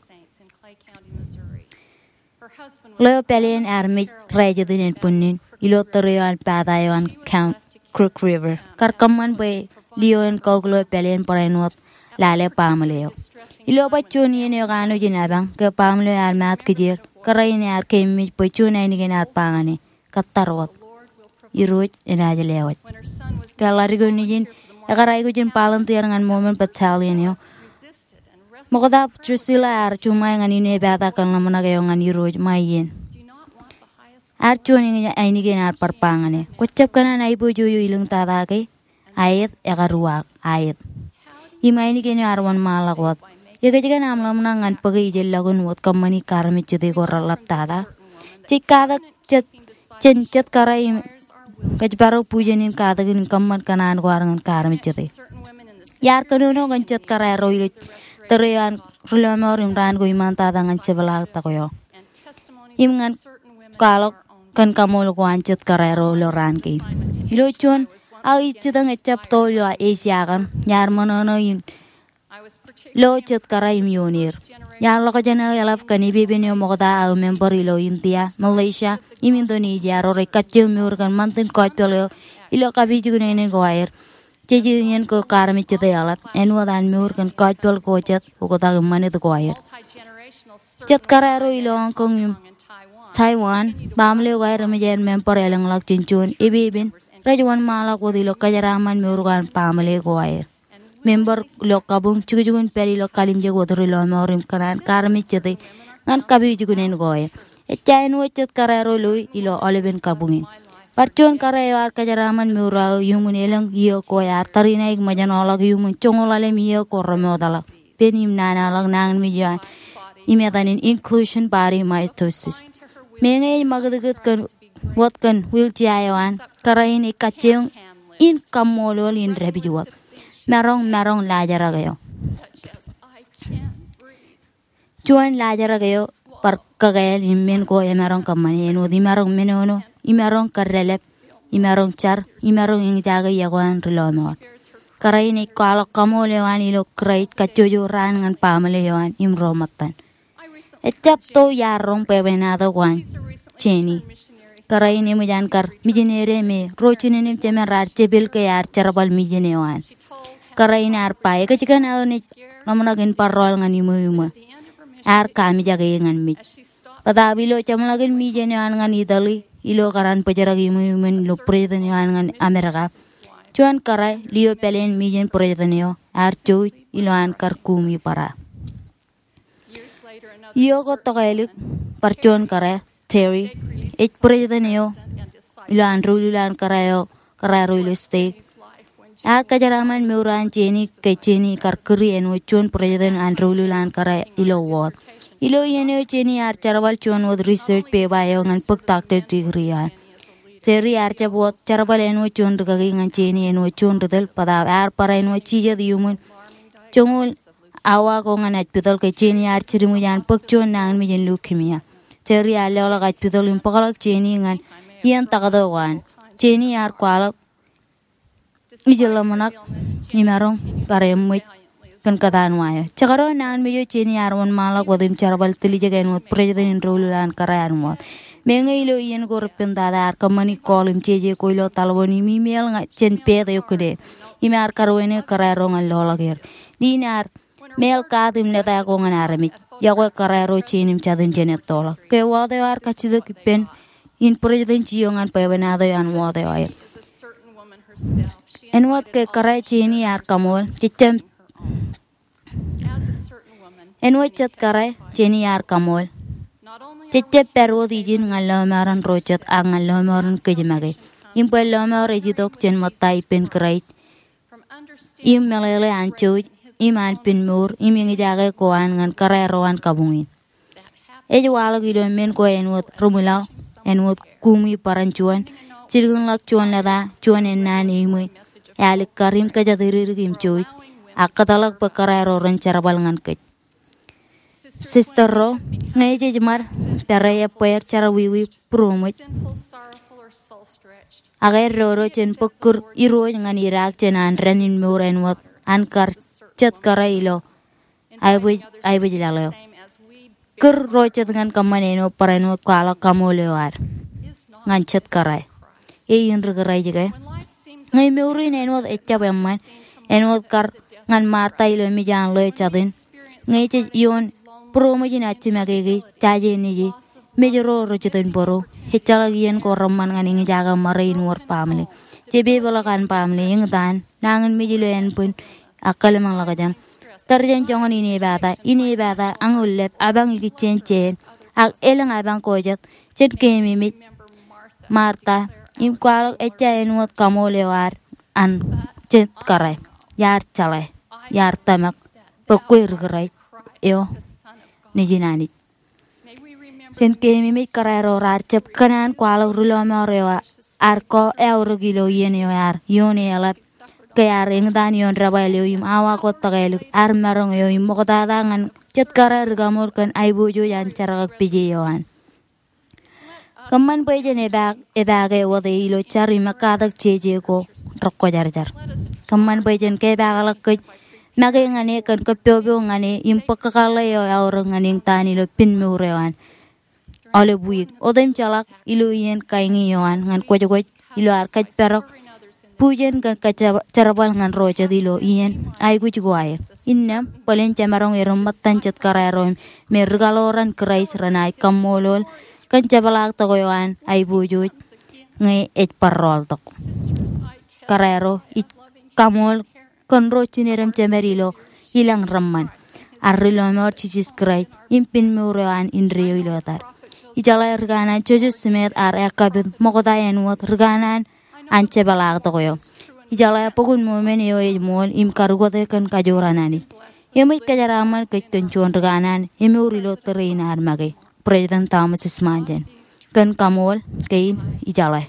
Ḷeo pāleen ear mej rājetin ānbwinnin ilo tōre eo an pata eo an Count Crook River. Kar kōṃṃan bwe lio en kauk ḷeo pāleen barāinwōt lale baaṃle eo. Ilo bar juon iien eo ekanooj in apañ, ke baaṃle eo ear maat kijeer, kōrā in ear keememej bwe juon ainikien ear ba ñan e, kōttar wōt. Irooj enaaj lewōj. Ke ḷadik eo nejin, ekar aikuj in volunteer ñan Mormon Battalion eo. Ṃokta Drusilla ear juṃae ñan ine pata kōn ḷōmṇak eo ñan Irooj ṃae iien. Ear juon eñin ainikien ear bar ba ñan e, kwōjab kōṇaan aiboojoj eo ilōñtata ke? Aet, ekar uwaak, aet. Im ainikien eo ear wōnṃaanḷọk wōt. Ekōjkan aṃ ḷōmṇak ñan bōke ijellọkin wōt kōṃṃani kaarmejjete ko reḷḷap tata? Jej katak jet, jān jet kōrā im kōjparok bujen in katakin im kōṃṃan kōṇaan ko ad ñan kaarmejjete. Iar kōnono kōn jet kōrā ro ilo tōre eo an ri lọmọọr im raan ko iṃaantata ñan jepḷaaktok eo. Im ñan kwaḷọk kōn kaṃool ko an jet kōrā ro ilo raan kein. Ilo juon aō ijjitōñ ejjab to ilo Esia kaṇ, iar ṃōṇōṇō in lo jet kōrā im ioon er. Iar ḷọk jān aō eḷap kōn epepen eo ṃokta aō member ilo India, Malaysia, im Indonesia ro rej kajjioñ mour kōn ṃantin gospel eo ilo kapijuknen ko aer. Jej iien ko kar me jete eḷap āinwōt an mour kōn gospel ko jet oktak im ṃanit ko aer. Jet kōrā ro ilo Hong Kong im Taiwan, baaṃle ko aer eṃōj aer member elōñḷọk jān juon epepen rej wōnṃaanḷọk wōt ilo kōjeraaṃṃan mour ko an baaṃle ko aer. Member ilo kabuñ jukjukun pād ilo kalimjek wōt ri lọmọọr im kōṇaan kar me jete ñan kapijuknen ko aer. Ejja āinwōt jet kōrā ro loi ilo aolepen kabuñ in. Bar juon kōrā eo ear kōjeraaṃṃan mour aō iuṃwin elōñ iiō ko ear tariṇaik ṃōjṇọḷọk iuṃwin joñoul ḷalem iiō ko remootḷọk pen im nanaḷọk nañinmej eo an im etan in inclusion body mitosis. Meñe ej ṃakūtkūt kōn wōt kōn wheelchair eo an, kōrā in ej kajjioñ in kaṃṃoolol in dāpij wōt. Maroñ, maroñ laajrak eo. Juon laajrak eo bar kakāāl im men ko emaroñ kōṃṃane āinwōt imaroñ menono, imaroñ kōddeḷọp, imaroñ jar, imaroñ eñjake iọkwe an ri lọmọọr. Kōrā in ej kwaḷọk kaṃool eo an ilo Kraist kajjojo raan ñan baaṃle eo an im ro ṃōttan. Ejjab to iar roñ bwebwenato ko an Jenny. Kōrā in eṃōj an kar mijinere me ro jinen im jemān raar jepel ke ear jerbal mijin eo an. Kōrā in ear ba, ekōjkan aō naaj ḷōmṇak in bar rọọl ñan ṃweo im ṃweo. Ear kamijak e ñan mej. Bōtaab ilo jeṃḷọkin mijin eo an ñan Italy, ilo kōrā in bōjrak ṃweo im ṃweo ilo president eo an ñan Amerika, juon kōrā, lio pāleen mijin president eo, ear jouj ilo an kar kumi bōra. Iiō ko tokālik, bar juon kōrā, Terry, ej president eo ilo an doulul an kōrā eo, kōrā ro ilo stek. Ear kōjeraaṃṃan mour an Jenny ke Jenny kar kūri āinwōt juon president an doulul an kōrā ilo ward. Ilo iien eo Jenny ear jerbal juon wōt research paper eo ñan bōk doctor degree eo an. Terry ear jab wōt jerbal āinwōt juon rikaki ñan Jenny āinwōt juon ri tōl bōtaab ear bar āinwōt jijet iuṃwin joñoul awa ko ñan hospital ke Jenny ear jidik ṃōj an bōk juon nañinmej in leukemia. Terry ear leḷọk hospital im bōkḷọk Jenny ñan iien taktō ko an. Jenny ear kwaḷọk ij ḷōmṇak imaroñ kar eṃṃōj kōn kōtaan wa eo. Jekdọọn nañinmej eo Jenny ear wōnṃaanḷọk wōt im jerbal tiljek āinwōt president in doulul an kōrā an ward. Meñe ilo iien ko repen tata ear kōṃṃani call im jeje ko ilo taḷboon im email ñan jān pāāt eo kine. Im ear karuwainene kōrā ro ñan loḷọk er. Nin ear māāl kaat im lōta ko ñan armej. Iọkwe kōrā ro jein im jatin jān ettoḷọk. Ke ward eo ear kajjitōk ippān in president eo ñan bwebwenato eo an ward eo aer. Āinwōt ke kōrā Jenny ear kaṃool, jejjab āinwōt jet kōrā Jenny ear kaṃool. Jejjab pād wōt ijin ñan lọmọọren ro jet ak ñan lọmọọren kōj make. Im bwe lọmọọr ej itok jān ṃōtta ippān Kraist. Im meḷeḷe an jouj, im an pen mour, im eñjake ko an ñan kōrā ro an kabuñ in. Ej waḷọk ilo men ko āinwōt rimwilaḷ, āinwōt kumi bōran juon, jilkinḷọk juon lōta, juon ennaan eṃṃan, alikkar im kōjatdikdik im jouj, ak kōtḷọk bwe kōrā ro ren jerbal ñan kōj. Sister ro, ñe jej ṃad pere ebbeer jerọwiwi būroṃōj, ak eddodo jān bōk kūr irooj ñan idaak jān an dān in mour āinwōt an kar jet kōrā ilo aebōj, aebōj laḷ eo. Kūr ro jet ñan kōṃṃan āinwōt barāinwōt kwaḷọk kaṃool eo ad ñan jet kōrā. Eñin ri Kraist ke? Ñe mour in āinwōt ejjab eṃṃan, āinwōt kar ñan Marta ilo mej an ḷeo jatin. Ñe jej ioon būroṃōj in ajimake ke jaje neje, mej ro rej jitōnbōro. Ejjeḷọk iien ko reṃṃan ñan eñjake ṃare in wōr baaṃle. Jepepeḷọk an baaṃle, eñtaan, nañinmej ilo ānbwin, ak kōḷmānḷọkjeṇ. Tōre jān joñan inepata, inepata, añoul lep, apañ ikijjien jāān, ak elōñ apañ ko jet, jen keememej Marta, im kwaḷọk ejja āinwōt kaṃool eo ad an jet kōrā. Iar jeḷā, iar tōmak, bwe kwe ri Kraist eo, Nejin Anij. Jen keememej kōrā ro raar jab kōṇaan kwaḷọk ri lọmọọr eo ad ko eaorōk ilo iien eo ear ioon eḷap ke ear eñtaan ioon debwāāl eo im awa ko tōkālik, ear maroñ eo im ṃoktata ñan jet kōrā ri kaṃool kōn aiboojoj an jerkakpeje eo an. Kōṃṃan bwe jen epaake, epaake wōt e ilo jar im ekkatak jeje ko rekwōjarjar. Kōṃṃan bwe jen kepaakḷọk kōj make ñan e kōn kōppopok ñan e im bōk kakōḷḷe eo eaorōk ñan eñtaan ilo pinmour eo an aolep wiik. Otemjeḷọk ilo iien kaeñi eo an ñan kwōjkwōj ilo ad kōjparok bujen kōn kōjjerbal ñan ro jet ilo iien aikuj ko aer. Innām, bōlen jemaroñ erom ṃōttan jet kōrā ro im me ri kaḷoran Kraist renaaj kaṃṃoolol kōn jepḷaaktok eo an aiboojoj ñe ej bar rọọltok. Kōrā ro, ij kaṃool kōn ro jined im jemed ilo ilañ reṃṃan ad ri lọmọọr Jisōs Kraist im pinmour eo an indeeo ilo etad. Ijeḷā ri kanaan Joseph Smith ear ekkapit ṃokta āinwōt ri kanaan an jepḷaaktok eo. Ijeḷā Bok in Mormon eo ej ṃool im karukote kōn kajoor an Anij. Eṃōj kōjeraaṃṃan kōj kōn juon ri kanaan emour ilo tōre in ad make, President Thomas S. Monson, kōn kaṃool kein ijeḷā.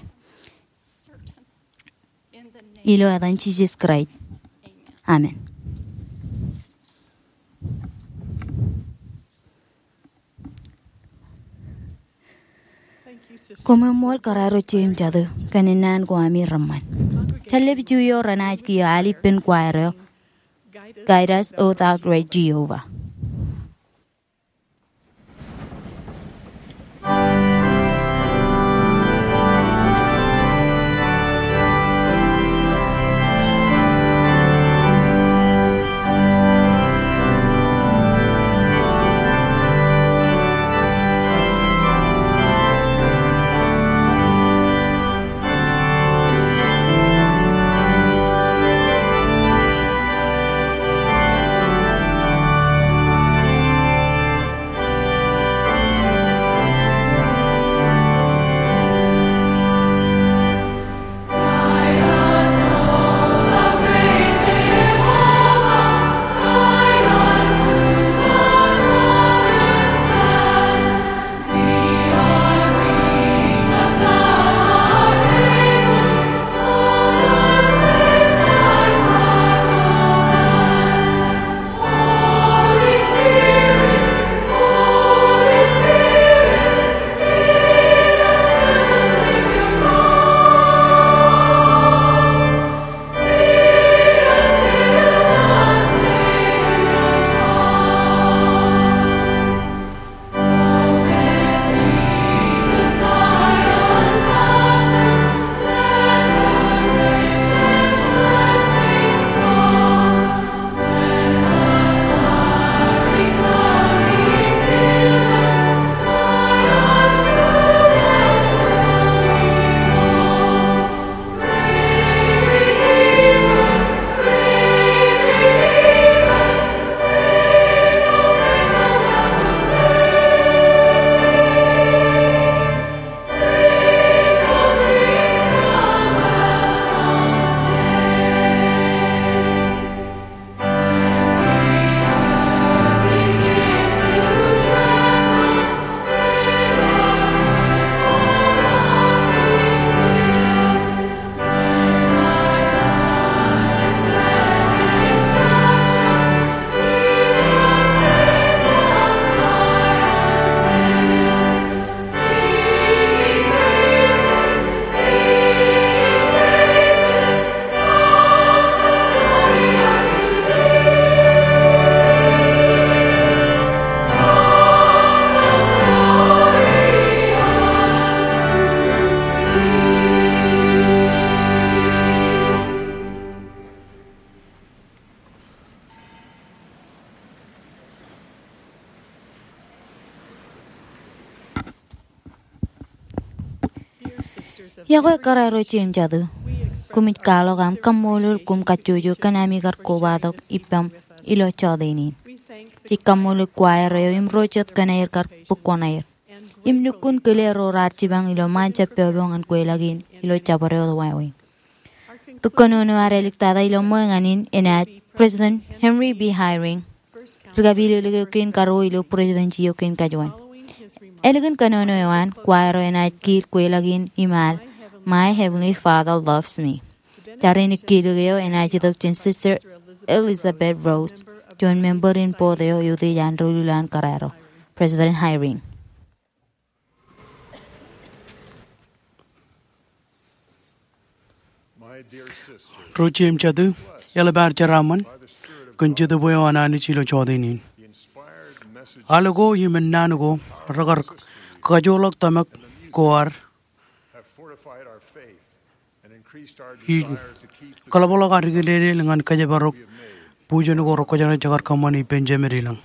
Ilo etan Jisōs Kraist. Amen. Koṃṃool kōrā ro jeiū im jatū kōn naan ko ami reṃṃan. Jar lep iju eo renaaj kiiō al ippān choir eo, Guide Us, O Thou Great Jehovah. Iọkwe kōrā ro jeiū im jatū, koṃij kwaḷọk aṃ kaṃṃoolol koṃ kajjojo kōn ami kar kobatok ippaṃ ilo jọteen in. Jej kaṃṃoolol choir eo im ro jet kōn aer kar bōk kuṇaer im lukkuun kile ro raar jipañ ilo ṃaan jab pọpọ ñan kweilọk in ilo jabdewōt wāween. Ri kōnono ad āliktata ilo ṃōñā in enaaj President Henry B. Eyring, ri kapilōk eo kein karuo ilo presidency eo kein kajuon. Ālikin kōnono eo an, choir eo enaaj kiil kweilọk in im al My Heavenly Father Loves Me. Jar in ekkiilōk eo enaaj itok jān Sister Elizabeth Rose, juon member in board eo eutiej an doulul an kōrā ro, President Eyring. Ro jet im jatū, eḷap ad jeraaṃṃan kōn Jetōb eo an Anij ilo jota in. Al ko im ennaan ko rekar kajoorḷọk tōmak ko ad im kōḷapḷọk ad ikilelel ñan kōjparok bujen ko rekwōjarjar jekar kōṃṃani ippān Jemed ilañ.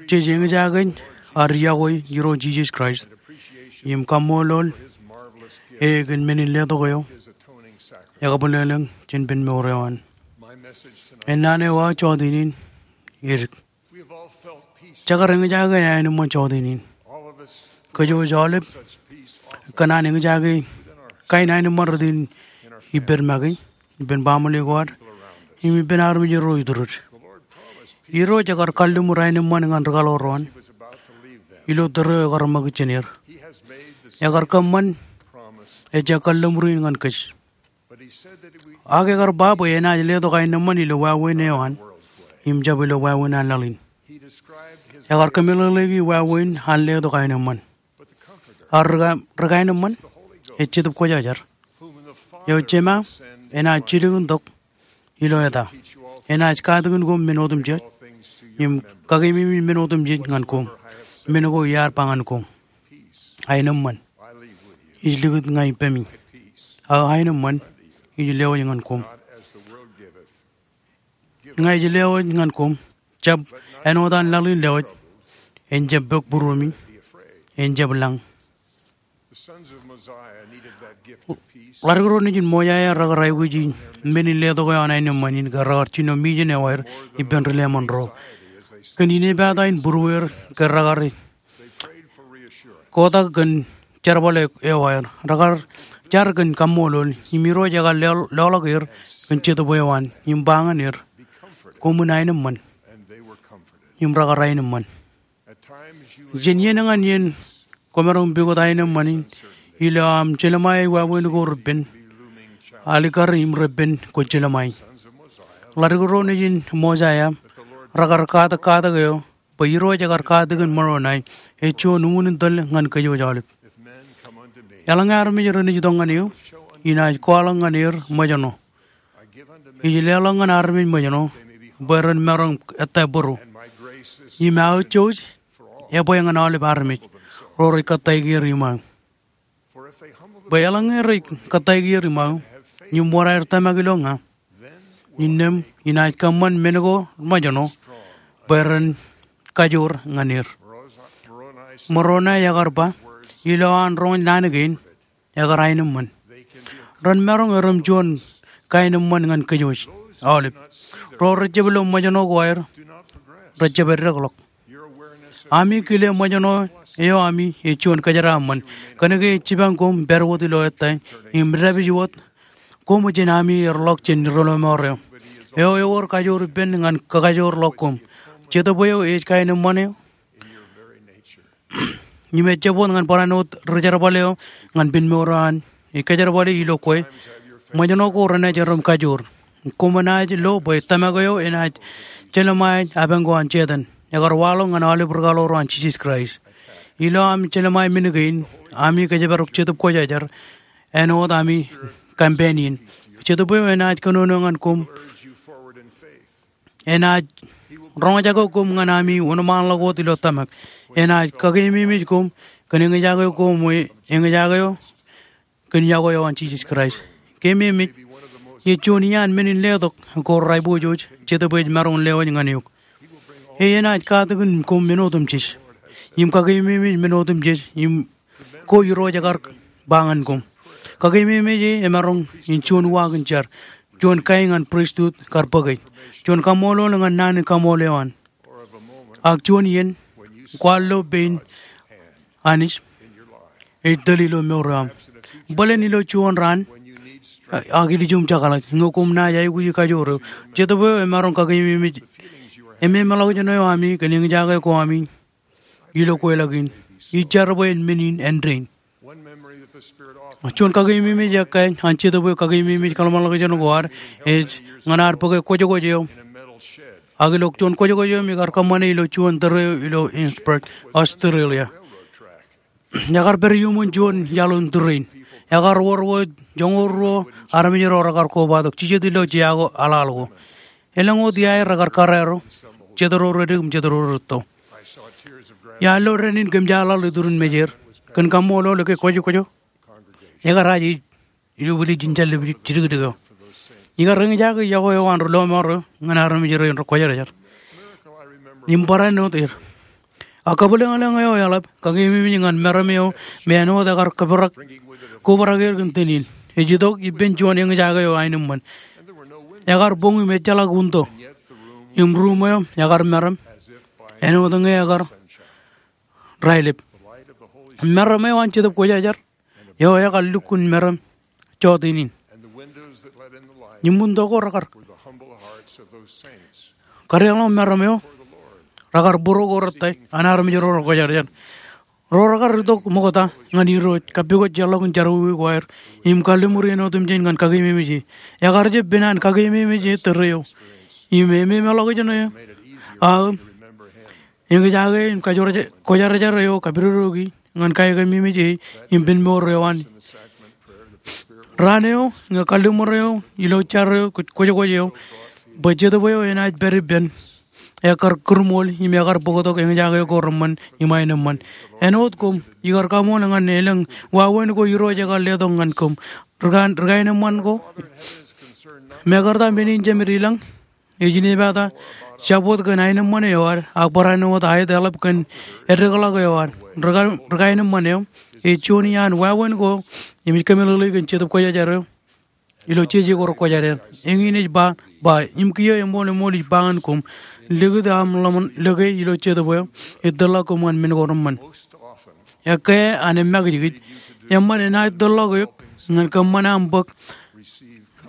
Jej eñjake ad yokwe Irooj Jisōs Kraist im kaṃṃoolol E kōn men in letok eo ekabwilōñlōñ jān ippān mour eo an. Ennaan eo aō jota in edik. Jekar eñjake aenōṃṃan jota in. Kōjwōj aolep kōṇaan eñjake kain aenōṃṃan rot in ippād make, ippān baaṃle ko ad, im ippān armej ro iturūd. Irooj ekar kalliṃur aenōṃṃan ñan ri kaḷoor eo an ilo tōre eo ekar ṃakūt jān er. Ekar kōṃṃan ejja kalliṃur in ñan kōj. Ak ekar ba bwe enaaj letok aenōṃṃan ilo wāween eo an im jab ilo wāween an laḷ in. Ekar kōmeḷeḷeiki wāween an letok aenōṃṃan. Ak ri ka-, ri kaenōṃṃan, ej Jetōb Kwōjarjar, eo Jema enaaj jilkintok ilo eta, enaaj katakin koṃ men otemjej im kakeememej men otemjej ñan koṃ, men ko iar ba ñan koṃ. Aenōṃṃan ij likūt ña ippemi, ak aenōṃṃan ij lewōj ñan koṃ. Ña ij lewōj ñan koṃ, jab āinwōt an laḷ in lewōj, en jab pok būruemi, en jab lañ. Ḷadik ro nejin Mosaia rekar aikuji men in letok eo an aenōṃṃan in ke rekar jino mijen eo aer ippān ri leṃōn ro kōn inepata in būrueir ke rekar kotak kōn jerbal eo aer. Rekar jar kōn kaṃṃoolol, im Irooj ekar lo-, loḷọk er kōn Jetōb eo an, im ba ñan er, koṃwin aenōṃṃan. Im rekar aenōṃṃan. Jān iien ñan iien kwōmaroñ pukot aenōṃṃan in ilo aṃ jelṃae wāween ko repen alikkar im repen kwōj jelṃae. Ḷadik ro nejin Mosaia rekar katak katak eo bwe Irooj ekar katakin Moronai ej juon uñūn in tōl ñan kōjwōj aolep. Eḷaññe armej renaaj itok ñan eō, inaaj kwaḷọk ñan er ṃōjṇọ. Ij leḷọk ñan armej ṃōjṇọ bwe ren maroñ ettā bōro. Im aō jouj ebwe ñan aolep armej ro rej kōttāik er iṃaō. Bwe eḷaññe rej kōttāik er iṃaō im wōr aer tōmak ilo ña, innām inaaj kōṃṃan men ko ṃōjṇọ bwe ren kajoor ñan er. Moronai ekar ba, ilo an roñ naan kein, ekar aenōṃṃan. Ren maroñ erom juon kaenōṃṃan ñan kōjwōj aolep. Ro rejjab lo ṃōjṇọ ko aer, rejjab eddekḷọk. Ami kile ṃōjṇọ eo ami ej juon kōjeraaṃṃan. Kōnke ej jipañ koṃ pād wōt ilo ettā im dāpij wōt koṃ jān ami erḷọk jān ri lọmọọr eo. Eo ewōr kajoor ippān ñan kakajoorḷọk koṃ. Jetōb eo ej kaenōṃṃan eo. Im ejjab wōt ñan barāinwōt ri jerbal eo ñan ippān mour eo an. Ej kōjerbale ilo kwe. Ṃōjṇọ ko renaaj erom kajoor. Koṃ enaaj lo bwe tōmak eo enaaj jelṃae apañ ko an Setan. Ekar waḷọk ñan aolep ri kaḷoor eo an Jisōs Kraist. Ilo ami jelṃae men kein, ami kōjparok Jetōb Kwōjarjar, āinwōt ami companion. Jetōb eo enaaj kōnono ñan koṃ. Enaaj roñjake koṃ ñan ami wōnṃaanḷọk wōt ilo tōmak. Enaaj kakeememej koṃ kōn eñjake koṃ, eñjake eo kōn yokwe eo an Jisōs Kraist. Keememej, ej juon iaan men in letok ko rej aiboojoj Jetōb ej maroñ lewōj ñan eok. E enaaj katakin koṃ men otemjej im kakeememej men otemjej im ko Irooj ekar ba ñan koṃ. Kakeememej e emaroñ in juon uwaak in jar, juon kain ñan pristut kar bōke, juon kaṃṃoolol ñan naan in kaṃool eo an. Ak juon iien kwaar lo pein Anij ej tōl ilo mour eo aṃ. Bōlen ilo juon raan, ak ilijuṃ jekḷaj ñe koṃ naaj aikuji kajoor eo. Jetōb eo emaroñ kakeememej, ememeḷọkjeṇ eo ami kōn eñjake ko ami ilo kweilọk in. Ij jar bwe en men in āindein. Juon kakeememej ekkā an Jetōb eo kakeememej kōḷmānḷọkjeṇ ko ad ej ñan ad bōke kwōjkwōj eo ak ilo juon kwōjkwōj eo im ekar kōṃṃane ilo juon tōre eo ilo Innsbruck, Australia. Ekar pād iuṃwin juon iaḷ in tūrein. Ekar wōr wōt joñoul ruo armej ro rekar kobatok, jijet ilo jea ko aḷaḷ ko. Elōñ wōt iaer rekar kōrā ro, jet ro redik im jet ro rūtto. Iar lo dān in kōmjeḷaḷ iturin mejeir kōn kaṃṃoolol ke kwōjkwōj eo ekar aje ilo wūliej in jān lepin jidikdik eo. Ikar eñjake yokwe eo an ri lọmọọr eo ñan armej rein rekwōjarjar im barāinwōt er. A kabwilōñlōñ eo eḷap kakeememej ñan meram eo me āinwōt ekar kōperak, kobrak er kōn tōn in. Ej itok ippān juon eñjake eo aenōṃṃan. Ekar boñ im ejjeḷọk winto. Im ruum eo ekar meram āinwōt ñe ekar raelep. Meram eo an Jetōb Kwōjarjar eo ekar lukkuun meram jọteen in. Im winto ko rekar kadeḷọñ meram eo, rekar būruo ko rettā an armej ro rekwōjarjar. Ro rekar itok ṃokta ñan Irooj, kappukot jeorḷọkin jerọwiwi ko aer, im kalliṃur iien otemjeen ñan kakeememej e. Ekar jab pen an kakeememej e tōre eo. Im ememeḷọkjeṇ e aō eñjake in kwōjarjar eo kapidodoki ñan kakeememej e im pen mour eo an. Raan eo ñe kalliṃur eo ilo jar eo kwōjkwōj eo bwe Jetōb eo enaaj pād ippān, ekar kūrṃool im ekar bōktok eñjake ko reṃṃan im aenōṃṃan. Āinwōt koṃ, ikar kaṃool ñan elōñ wāween ko Irooj ekar letok ñan koṃ. Ri kaenōṃṃan ko, mekarta men in jemed ilañ ej inepata jab wōt kōn aenōṃṃan eo ad, ak barāinwōt aet eḷap kōn eddekḷọk eo ad. Ri kaenōṃṃan eo ej juon iaan wāween ko im ej kōmeḷeḷe kōn Jetōb Kwōjarjar eo ilo jeje ko rekwōjarjar. Eñin ej ba, ba, im kiiō eṃool eṃool ij ba ñan koṃ, likūt aṃ ḷōmṇak ilo Jetōb eo ej tōrḷọk koṃ ñan men ko reṃṃan. Ekkā an emakijkij, eṃṃan enaaj tōrḷọk eok ñan kōṃṃan aṃ bōk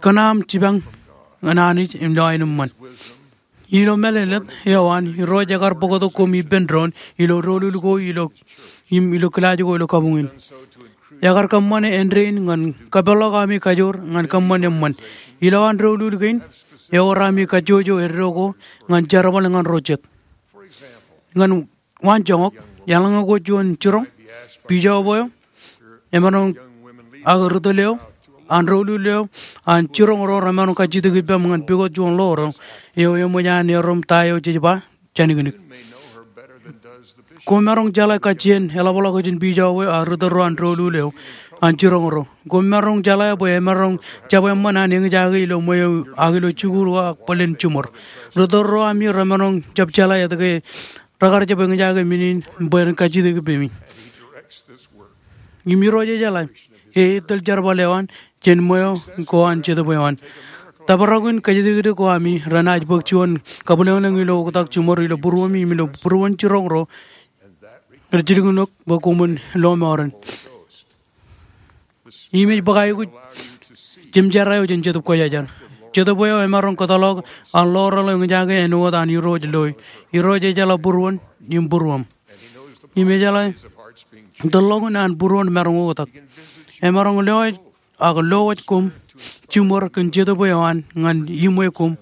kōn aṃ jipañ ñan Anij ilo aenōṃṃan. Ilo mālōtlōt eo an, Irooj ekar bōktok koṃ ippān doon ilo doulul ko ilo, im ilo kilaaj ko ilo kabuñ in. Ekar kōṃṃane āindein ñan kapeḷḷọk ami kajoor ñan kōṃṃan eṃṃan. Ilowaan doulul kein, ewōr ami kajjojo eddo ko ñan jerbal ñan ro jet. Ñan waanjoñak, eḷaññe kwōj juon jiroñ, bijob eo emaroñ, ak ri tōl eo an doulul eo an jiroñ ro remaroñ kajjitōk ippaṃ ñan pukot juon ḷoor eo eṃōj an erom ta eo jej ba jāniknik. Koṃ maroñ jeḷā kajjien eḷapḷọk jān bijob eo ak ri tōl ro an doulul eo an jiroñ ro. Koṃ maroñ jeḷā bwe emaroñ jab eṃṃan an eñjake ilo ṃweo ak ilo jikuuḷ ko ak bōlen jiṃor. Ri tōl ro ami remaroñ jab jeḷā etke rekar jab eñjake men in bwe ren kajjitōk ippemi. Im Irooj ejeḷā, e ettōl jerbal eo an jān ṃweo ko an Jetōb eo an. Tōprak in kajjitōk ko ami renaaj bōk juon kabwilōñlōñ ilo oktak jiṃor ilo būruemi im ilo būruon jiroñ ro rej jilkinok bwe koṃwin lọmọọren. Im ej bōk aikuj jemjerā eo jān Jetōb Kwōjarjar. Jetōb eo emaroñ kōtḷọk an ḷoor eo eñjake āinwōt an Irooj loe. Irooj ejeḷā būruon im būruōṃ. Im ejeḷā tōl ḷọkin an būruon maroñ oktak. Emaroñ lowōj ak lowōj koṃ jiṃor kōn Jetōb eo an ñan iṃwe koṃ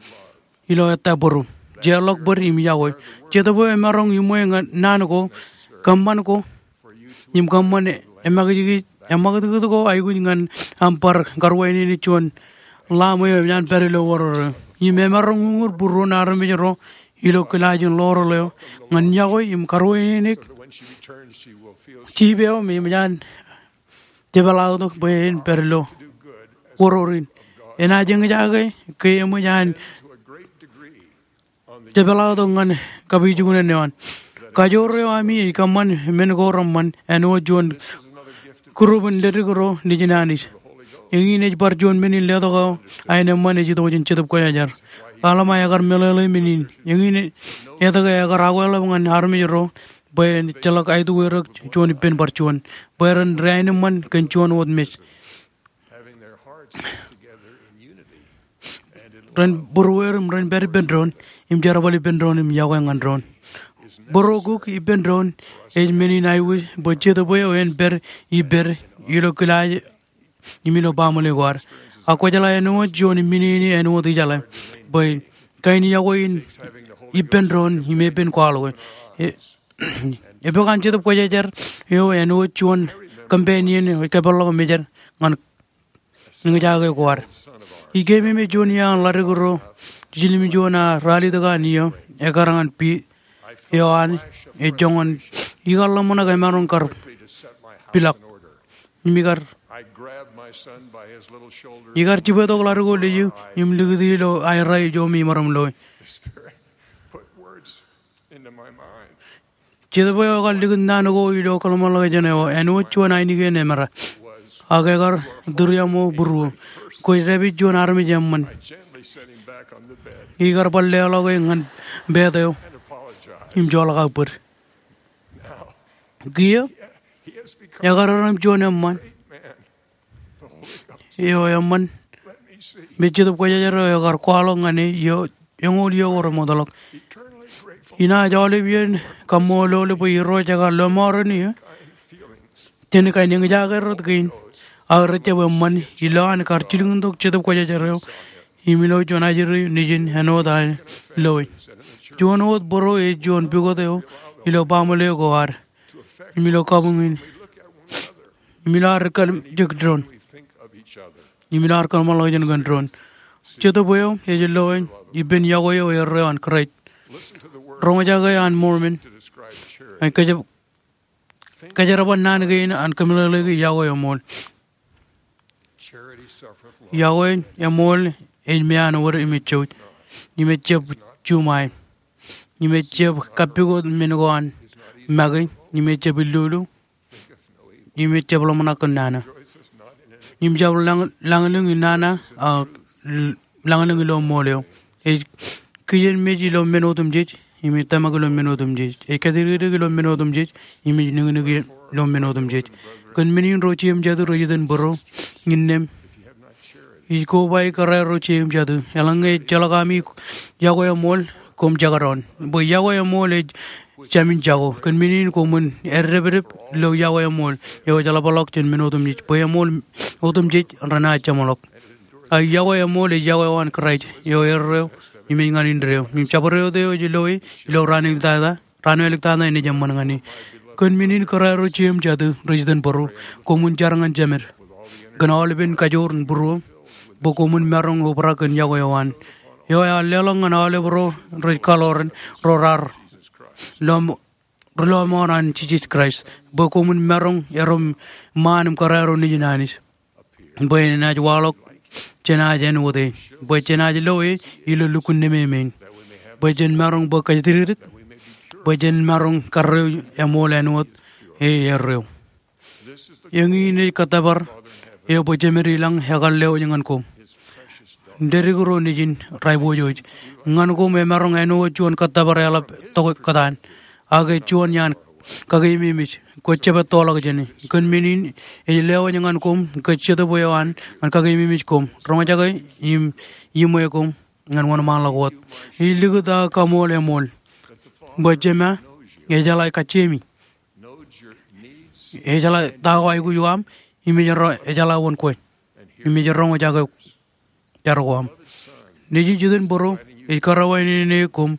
ilo ettā būruōṃ. Jeorḷọk bōd im yokwe. Jetōb eo emaroñ iṃwe ñan naan ko, kōṃṃan ko, im kōṃṃan emakijkij, emakūtkūt ko aikuj ñan aṃ bar karuwainene juon Lamb eo eṃōj an pād ilo oror eo. Im emaroñ uñūr būruon armej ro ilo kilaaj in ḷoor eo ñan yokwe im karuwainene jip eo me eṃōj an jepeḷḷọktok bwe en pād ilo oror in. Enaaj eñjake ke eṃōj an jepeḷḷọktok ñan kapijuknen eo an. Kajoor eo ami ej kōṃṃan men ko reṃṃan āinwōt juon group in ledik ro nejin Anij. Eñin ej bar juon men in letok eo aenōṃṃan ej itok jān Jetōb Kwōjarjar. Alma ekar meḷeḷe men in. Eñin etke ekar akweḷap ñan armej ro bwe en ejjeḷọk aituerōk juon ippān bar juon, bwe ren ri-aenōṃṃan kōn juon wōt mej. Ren būrueer im ren pād ippān doon im jerbal ippān doon im yokwe ñan doon. Būruokuk ippān doon ej men in aikuj bwe Jetōb eo en pād ippād ilo kilaaj im ilo baaṃle ko ad. Ak kwōjeḷā āinwōt juon im men in āinwōt ijeḷā bwe kain yokwe in ippān doon im epen kwaḷọk e. E, epokan Jetōb Kwōjarjar eo āinwōt juon companion eo ej kapeḷḷọk mejād ñan eñjake ko ad. Ij keememej juon iaan ḷadik ro jiljilimjuon aō ralitōk an iiō ekkar ñan pit eo an ej joñan ikar ḷōmṇak emaroñ kar pilọk. Im ikar, ikar jipetok ḷadik eo lej eō im likūti ilo aerro ijo im imaroñ loe. Jetōb eo ekar likūt naan ko ilo kōḷmānḷọkjeṇ eo, āinwōt juon ainikien emera. Ak ekar tūriaṃo būruō. Kwōj dāpij juon armej eṃṃan. Ikar bar leḷọk e ñan pet eo im joḷọk aō bōd. Kiiō, ekar erom juon eṃṃan eo eṃṃan me Jetōb Kwōjarjar eo ekar kwaḷọk ñan e iiō, eñoul iiō ko remootḷọk. Inaaj aolep iien kaṃṃoolol bwe Irooj ekar lọmọọren eō jān kain eñjake rot kein aō rejjab eṃṃan ilowaan kar jilkintok Jetōb Kwōjarjar eo im ilo juon ajri nejin āinwōt an loe. Juon wōt bōro ej juon pukot eo ilo baaṃle ko ad im ilo kabuñ in im ilo ad kōl jek doon im ilo ad kōḷmānḷọkjeṇ kōn doon. Jetōb eo ej loe ippān yokwe eo erreo an Kraist. Roñjake an Mormon. Ej kōj- kōjerbal naan kein an kōmeḷeḷeiki yokwe eṃool. Yokwe eṃool ej meanwōd im ej jouj im ejjab juṃae im ejjab kappukot men ko an make im ejjab illulu im ejjab ḷōmṇak kōn nana im jab lañ- lañlōñ in nana ak l- lañlōñ ilo ṃool eo. Ej kijenmej ilo men otemjej im ej tōmak ilo men otemjej. Ej kōjatdikdik ilo men otemjej im ej niknik ilo men otemjej. Kōn men in ro jeiū im jatū rej itōn bōro, innām ij kobaik kōrā ro jeiū im jatū. Eḷaññe ejjeḷọk ami yokwe eṃool, koṃ jekdọọn. Bwe yokwe eṃool ej jāmin jako. Kōn men in koṃwin eddepdep lo yokwe eṃool eo ej ḷapḷọk jān men otemjej. Bwe eṃool otemjej renaaj jeṃḷọk. A yokwe eṃool ej yokwe eo an Kraist eo erreo im ej ñan indeeo. Im jabdewōt eo ej loe ilo raan eo ektata, raan eo ektata enaaj eṃṃan ñan e. Kōn men in kōrā ro jeiū im jatū rej itōn bōro, koṃwin jar ñan jemed kōn aolepen kajoor in būruō bwe koṃwin maroñ obrak kōn yokwe eo an. Eo ear leḷọk ñan aolep ro rej kaḷoran ro raar lọm- ri lọmọọr an Jisōs Kraist, bwe koṃwin maroñ erom ṃaan im kōrā ro nejin Anij. Bwe enaaj waḷọk jenaaj āinwōt e, bwe jenaaj lo e ilo lukkuun nememeiin. Bwe jen maroñ bōk kōjatdikdik, bwe jen maroñ karreo eṃool āinwōt e erreo. Eñin ej kōttōpar eo bwe Jemed ilañ ekar lewōj ñan koṃ. Dedik ro nejin rej pojoj ñan koṃ emaroñ āinwōt juon kōttōpar eḷap tok kōtaan. Ak ej juon iaan kakeememej, kwōj jab ettoḷọk jāne. Kōn men in ej lewōj ñan koṃ kōj Jetōb eo an ñan kakeememej koṃ. Roñjake im iṃwe koṃ ñan wōnṃaanḷọk wōt. Ij likūt aō kaṃool eṃool bwe Jema ejeḷā kajjiemi. Ejeḷā ta ko aikuj ko aṃ, im ej ro- ejeḷā wōn kwe, im ej roñjake jar ko aṃ. Nejin jitōnbōro ej kōrā wāween eo koṃ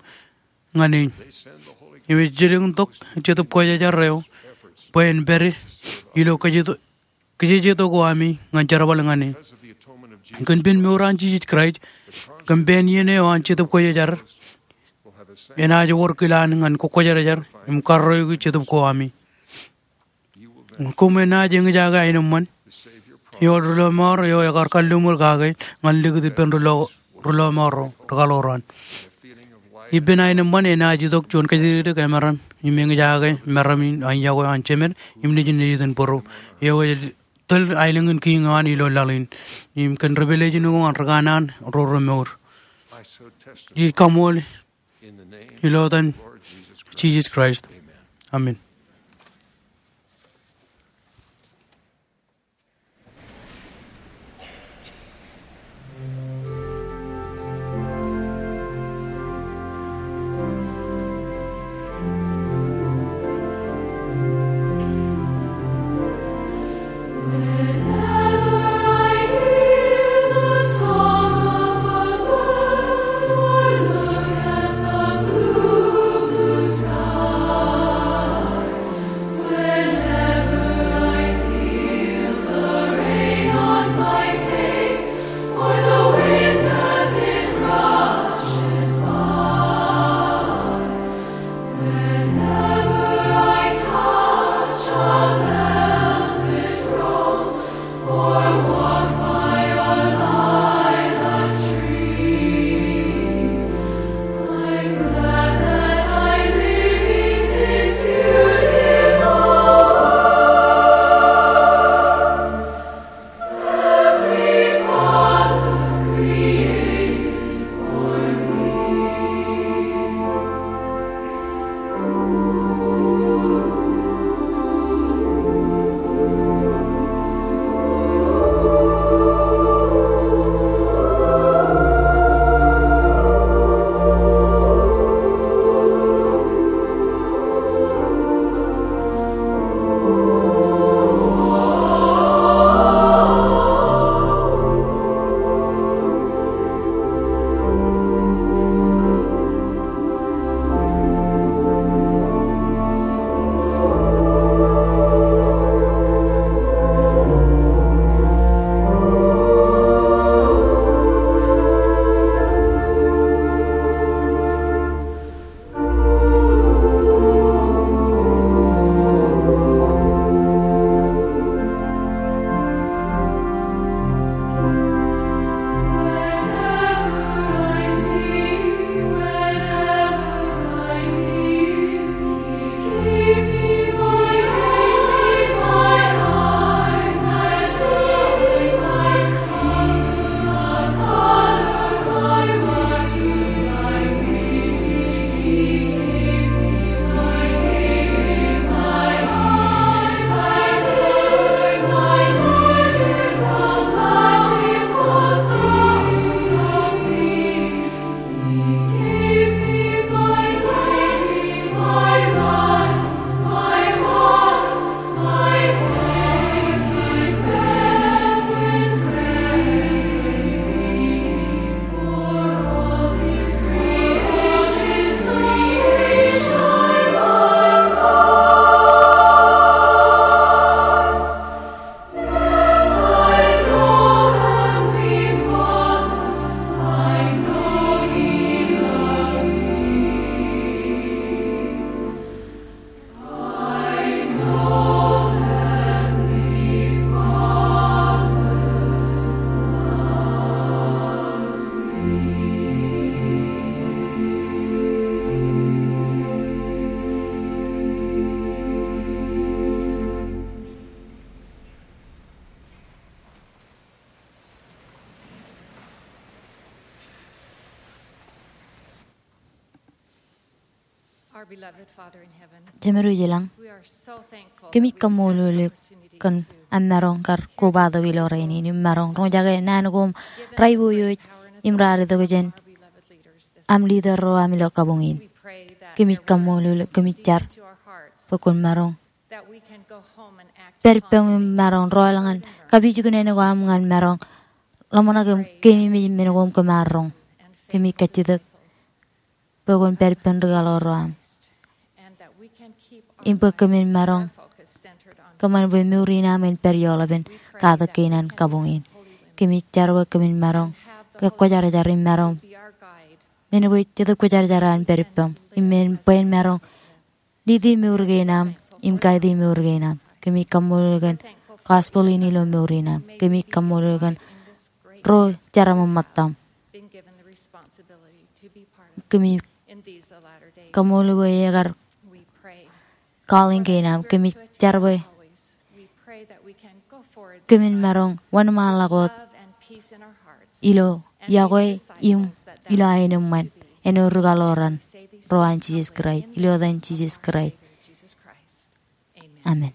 ñan e. Im ej jilkintok Jetōb Kwōjarjar eo bwe en pād ilo kōj- kōjjejeto ko ami ñan jerbal ñan e. Kōn pen mour an Jisōs Kraist kōn pen iien eo an Jetōb Kwōjarjar, enaaj wōr kilaan ñan kwōjarjar im karreoiki jetōb ko ami. Koṃ enaaj eñjake aenōṃṃan eo ri lọmọọr eo ekar kalliṃur kake ñan likūt ippān ri lo- ri lọmọọr ro, ri kaḷoor an. Ippān aenōṃṃan enaaj itok juon kōjatdikdik emaroñ im eñjake maroñ in an yokwe an Jemed im nejin ej itōn bōro eo ej tōl aelōñ in kiiñ eo an ilo laḷ in. Im kōn ri pālejin ko an ri kanaan ro remour. Ij kaṃool ilo etan Jisōs Kraist. Amen. Jemedwōj ilañ, kōmij kaṃṃoolol eok kōn aṃ maroñ kar kobatok ilo rainin im maroñ roñjake naan ko im raiboojoj im raar itok jān aṃ leader ro aṃ ilo kabuñ in. Kōmij kaṃṃoolol eok, kōmij jar bwe kwōn maroñ pād ippām im maroñ rọọl ñan kapijuknen ko aṃ ñan maroñ ḷōmṇak im keememej men ko aṃ kōm ar roñ. Kōmij kajjitōk bwe kwōn pād ippān ri kaḷoor ro aṃ im bwe kōmin maroñ kōṃṃan bwe mour in aṃ en pād ioḷapen katak kein an kabuñ in. Kōmij jar bwe kōmin maroñ ke kwōjarjar im maroñ men bwe Jetōb Kwōjarjar an pād ippām im men bwe en maroñ lead e mour kein aṃ im guide e mour kein aṃ. Kōmij kaṃṃoolol eok kōn gospel in ilo mour in aṃ. Kōmij kaṃṃoolol eok kōn ro jeraṃṃan ṃōttaṃ. Kōmij kaṃṃoolol bwe ekar calling kein aṃ. Kōmij jar bwe kōmin maroñ wōnṃaanḷọk wōt ilo iọkwe im ilo aenōṃṃan āinwōt ri kaḷoor ro an Jisōs Kraist, ilo etan Jisōs Kraist. Amen.